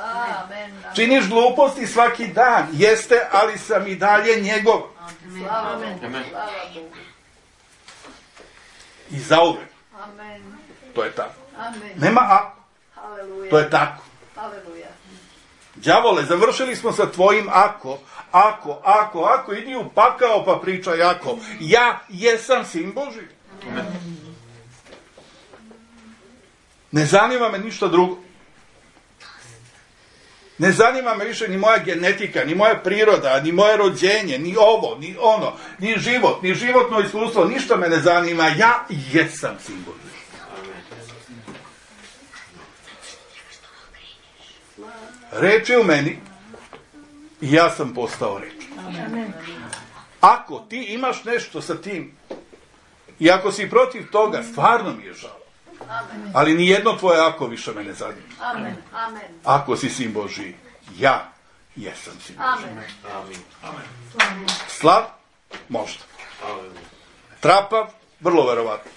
Amen. Činiš gluposti svaki dan, jeste, ali sam i dalje njegov. Slava Bogu. Amen. Slava Bogu. I zauvek. Amen. To je tako. Amen. Nema ako. Haleluja. To je tako. Haleluja. Đavole, završili smo sa tvojim ako. Ako, ako, ako, idi u pakao pa pričaj ako. Ja jesam sin Božji. Ne zanima me ništa drugo. Ne zanima me više ni moja genetika, ni moja priroda, ni moje rođenje, ni ovo, ni ono, ni život, ni životno iskustvo, ništa me ne zanima. Ja jesam sin Božji. Reč je u meni i ja sam postao reč. Ako ti imaš nešto sa tim i ako si protiv toga, stvarno mi je žao. Ali nijedno tvoje ako više me ne zanima. Amen. Amen. Ako si sin Božji, ja jesam sin Božji. Amen. Amen. Slab? Možda. Trapav? Vrlo verovatno.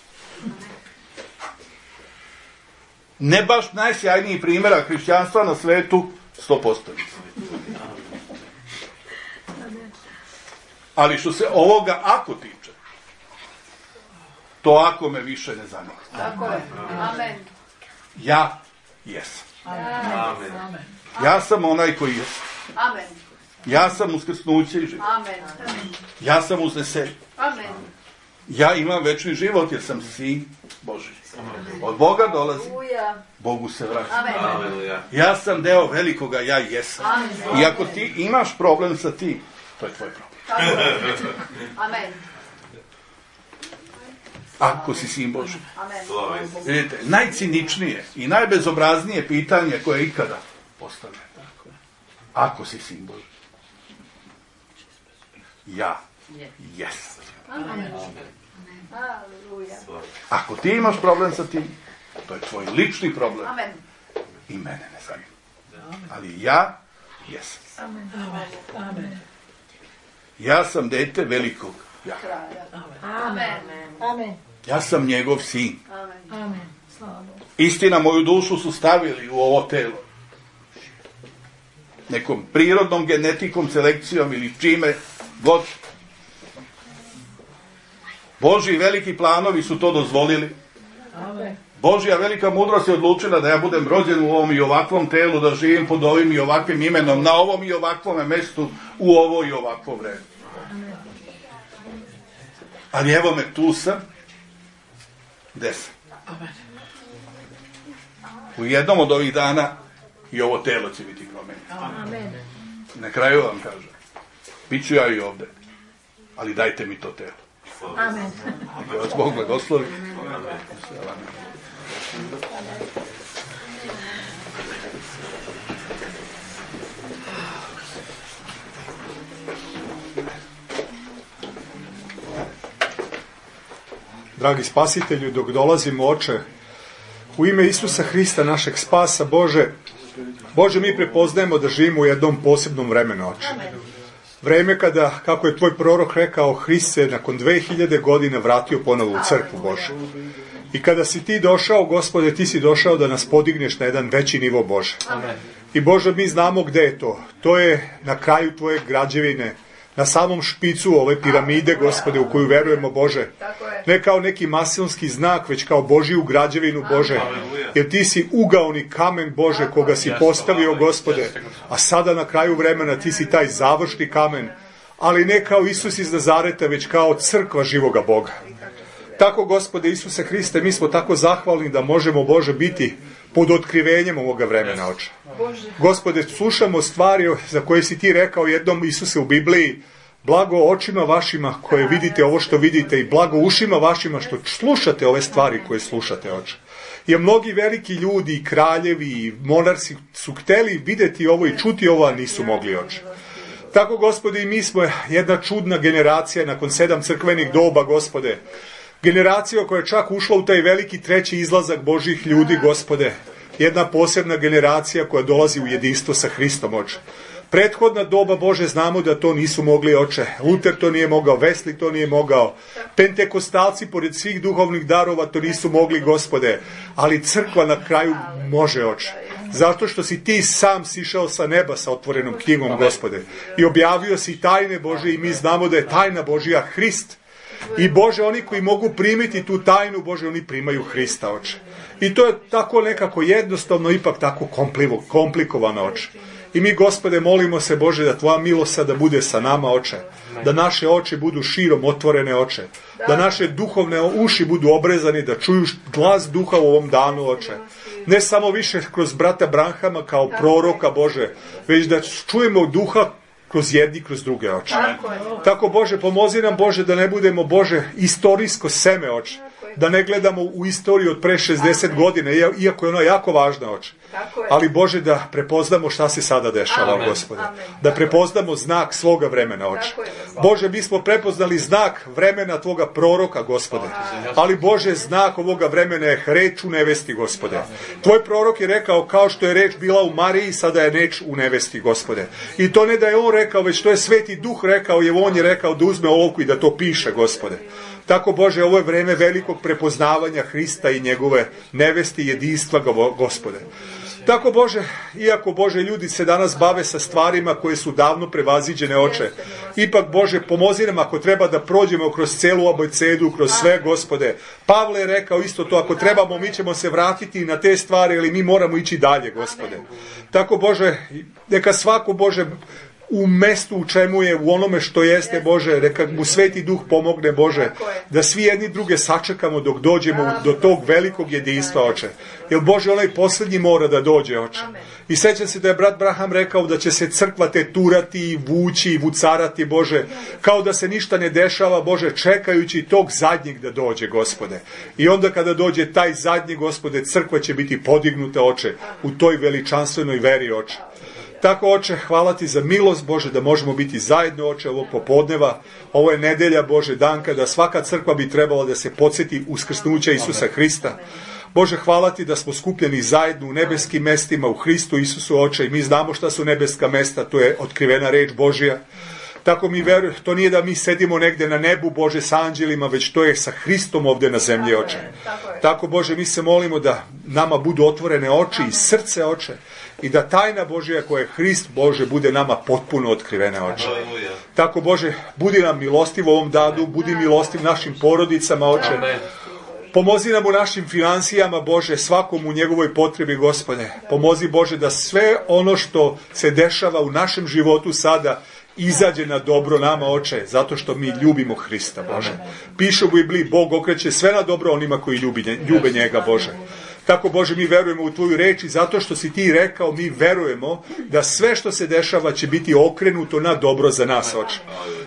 Ne baš najsjajniji primjera hrišćanstva na svetu, sto posto. Ali što se ovoga ako tiče, to ako me više ne zanima. Tako je. Amen. Ja jesam. Amen. Ja sam onaj koji je. Amen. Ja sam uskrsnuće i život. Amen. Ja sam uznesenje. Amen. Ja imam večni život jer sam sin Božji. Od Boga dolazi, Haleluja. Bogu se vraća. Amen. Aleluja. Ja sam deo velikoga, ja jesam. Amen. I ako ti imaš problem sa tim, to je tvoj problem. Tako je. Amen. Ako si sin Božji. Amen. Slava Vidite, najciničnije i najbezobraznije pitanje koje je ikada postavljeno. ako si sin Boži. Ja jesam. Amen. Aleluja. Ako ti imaš problem sa tim, to je tvoj lični problem. Amen. I mene ne zanima. Ali ja jesam. Amen. Amen. Ja sam dete velikog ja. Amen. Amen. Ja sam njegov sin. Amen. Amen. Slava Bogu. Istina, moju dušu su stavili u ovo telo. Nekom prirodnom genetikom, selekcijom ili čime god. Božji veliki planovi su to dozvolili. Amen. Božja velika mudrost je odlučila da ja budem rođen u ovom i ovakvom telu, da živim pod ovim i ovakvim imenom, na ovom i ovakvom mestu, u ovo i ovakvo vreme. Ali evo me, tu sam. Gde sam? U jednom od ovih dana i ovo telo će biti promenjeno. Amen. Na kraju vam kažem, bit ću ja i ovde, ali dajte mi to telo. Amen. Da vas Bog blagoslovi. Dragi spasitelju, dok dolazimo, Oče, u ime Isusa Hrista, našeg spasa, Bože, Bože, mi prepoznajemo da živimo u jednom posebnom vremenu, Oče. Vreme kada, kako je tvoj prorok rekao, Hrist se nakon dve hiljade godina vratio ponovo u crkvu, Bože. I kada si ti došao, Gospode, ti si došao da nas podigneš na jedan veći nivo, Bože. I Bože, mi znamo gde je to. To je na kraju tvoje građevine, na samom špicu ove piramide, Gospode, u koju verujemo, Bože. Ne kao neki masonski znak, već kao Božiju građevinu, Bože. Jer ti si ugaoni kamen, Bože, koga si postavio, Gospode. A sada na kraju vremena ti si taj završni kamen. Ali ne kao Isus iz Nazareta, već kao crkva živoga Boga. Tako, Gospode Isuse Hriste, mi smo tako zahvalni da možemo, Bože, biti pod otkrivenjem ovoga vremena, Oče. Gospode, slušamo stvari za koje si ti rekao jednom, Isuse, u Bibliji, blago očima vašima koje vidite ovo što vidite i blago ušima vašima što slušate ove stvari koje slušate, Oče. Jer mnogi veliki ljudi, i kraljevi, i monarsi su hteli videti ovo i čuti ovo, a nisu mogli, Oče. Tako, Gospode, i mi smo jedna čudna generacija nakon sedam crkvenih doba, Gospode. Generacija koja je čak ušla u taj veliki treći izlazak Božih ljudi, Gospode. Jedna posebna generacija koja dolazi u jedinstvo sa Hristom, Oče. Prethodna doba, Bože, znamo da to nisu mogli, Oče. Luter to nije mogao, Wesley to nije mogao. Pentekostalci, pored svih duhovnih darova, to nisu mogli, Gospode. Ali crkva na kraju može, Oče. Zato što si ti sam sišao sa neba sa otvorenom knjigom, Gospode. I objavio si tajne Bože i mi znamo da je tajna Božija Hrist. I Bože, oni koji mogu primiti tu tajnu, Bože, oni primaju Hrista, Oče. I to je tako nekako jednostavno, ipak tako komplikovano, Oče. I mi, Gospode, molimo se, Bože, da tvoja milost sada bude sa nama, Oče. Da naše oči budu širom otvorene, Oče. Da naše duhovne uši budu obrezani, da čuju glas duha u ovom danu, Oče. Ne samo više kroz brata Branhama kao proroka, Bože, već da čujemo duha kroz jedni, kroz druge, Oče. Tako, Tako, Bože, pomozi nam, Bože, da ne budemo, Bože, istorijsko seme, Oče. Da ne gledamo u istoriju od pre šezdeset godina, iako je ona jako važna, Oče. Ali, Bože, da prepoznamo šta se sada dešava, Amen. Gospode. Amen. Da prepoznamo znak svoga vremena, Oče. Bože, mi smo prepoznali znak vremena tvoga proroka, Gospode. Ali, Bože, znak ovoga vremena je reč u nevesti, Gospode. Tvoj prorok je rekao, kao što je reč bila u Mariji, sada je reč u nevesti, Gospode. I to ne da je on rekao, već to je Sveti Duh rekao, jer on je rekao da uzme olovku i da to piše, Gospode. Tako, Bože, ovo je vreme velikog prepoznavanja Hrista i njegove nevesti i jedinstva, Gospode. Tako, Bože, iako, Bože, ljudi se danas bave sa stvarima koje su davno prevaziđene, Oče, ipak, Bože, pomozi nam ako treba da prođemo kroz celu abecedu, kroz sve, Gospode. Pavle je rekao isto to, ako trebamo, mi ćemo se vratiti na te stvari, ali mi moramo ići dalje, Gospode. Tako, Bože, neka svako, Bože, u mestu u čemu je, u onome što jeste, Bože, neka mu Sveti Duh pomogne, Bože, da svi jedni druge sačekamo dok dođemo do tog velikog jedinstva, Oče. Jer, Bože, onaj posljednji mora da dođe, Oče. I sećam se da je brat Braham rekao da će se crkva teturati i vući i vucarati, Bože, kao da se ništa ne dešava, Bože, čekajući tog zadnjeg da dođe, Gospode. I onda kada dođe taj zadnji, Gospode, crkva će biti podignuta, Oče, u toj veličanstvenoj veri, Oče. Tako, Oče, hvala ti za milost, Bože, da možemo biti zajedno, Oče, ovog popodneva. Ovo je nedelja, Bože, dan kada svaka crkva bi trebala da se podsjeti uskrsnuća Isusa Hrista. Bože, hvala ti da smo skupljeni zajedno u nebeskim mestima, u Hristu Isusu, Oče, i mi znamo šta su nebeska mesta, to je otkrivena reč Božja. Tako mi verujemo, to nije da mi sedimo negde na nebu, Bože, sa anđelima, već to je sa Hristom ovde na zemlji, Oče. Tako, Bože, mi se molimo da nama budu otvorene oči i srce, Oče, i da tajna Božja koja je Hrist, Bože, bude nama potpuno otkrivena, Oče. Tako, Bože, budi nam milostiv u ovom danu, budi milostiv našim porodicama, Oče. Pomozi nam u našim financijama, Bože, svakom u njegovoj potrebi, Gospode. Pomozi, Bože, da sve ono što se dešava u našem životu sada izađe na dobro nama, Oče, zato što mi ljubimo Hrista, Bože. Piše u Bibliji, Bog okreće sve na dobro onima koji ljubi, ljube njega, Bože. Tako, Bože, mi verujemo u tvoju reč i zato što si ti rekao, mi verujemo da sve što se dešava će biti okrenuto na dobro za nas, Oče.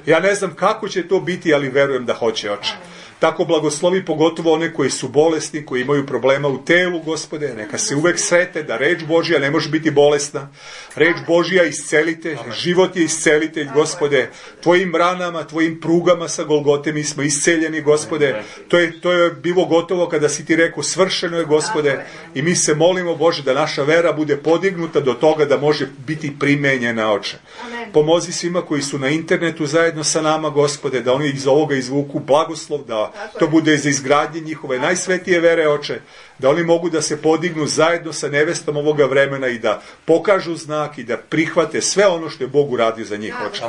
Ja ne znam kako će to biti, ali verujem da hoće, Oče. Tako blagoslovi pogotovo one koji su bolesni, koji imaju problema u telu, Gospode, neka se uvek srete da reč Božja ne može biti bolesna. Reč Božja iscelitelj, život je iscelitelj, Gospode. Tvojim ranama, tvojim prugama sa Golgote mi smo isceljeni, Gospode. To je, to je bilo gotovo kada si ti rekao svršeno je, Gospode. I mi se molimo, Bože, da naša vera bude podignuta do toga da može biti primenjena, Oče. Pomozi svima koji su na internetu zajedno sa nama, Gospode, da oni iz ovoga izvuku blagoslov, da to bude za izgradnje njihove najsvetije vere, Oče, da oni mogu da se podignu zajedno sa nevestom ovoga vremena i da pokažu znak i da prihvate sve ono što je Bog uradio za njih, Oče.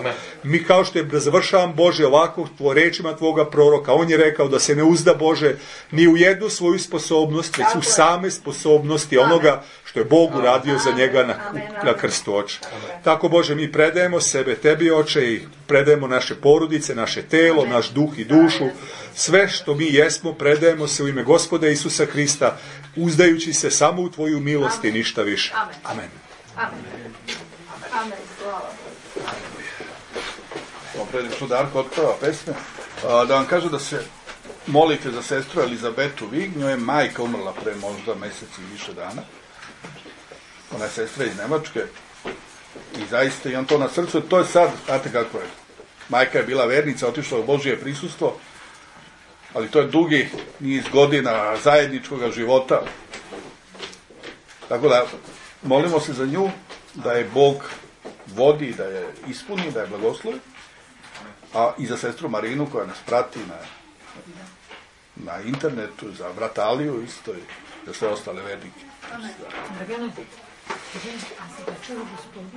Mi kao što je, da završavam, Bože, ovako tvo rečima tvoga proroka, on je rekao da se ne uzda, Bože, ni u jednu svoju sposobnost, već u same sposobnosti onoga što je Bog uradio za njega na, na krstu, Oče. Tako, Bože, mi predajemo sebe tebi, Oče, i predajemo naše porodice, naše telo, naš duh i dušu, sve što mi jesmo, predajemo se u ime Gospoda Isusa Hrista, uzdajući se samo u tvoju milost i ništa više. Amen. Amen. Amen. Slava. Prilično Darko otpeva pesme. Da vam kažem da se molite za sestru Elizabetu Vig, njoj je majka umrla pre možda mesec i više dana. Ona je sestra iz Nemačke i zaista imam to na srcu. To je sad, znate kako je, majka je bila vernica, otišla u Božije prisustvo, ali to je dugi niz godina zajedničkog života. Tako da molimo se za nju, da je Bog vodi, da je ispuni, da je blagoslovi, a i za sestru Marinu koja nas prati na, na internetu, za brata Aliju isto i za sve ostale vernike.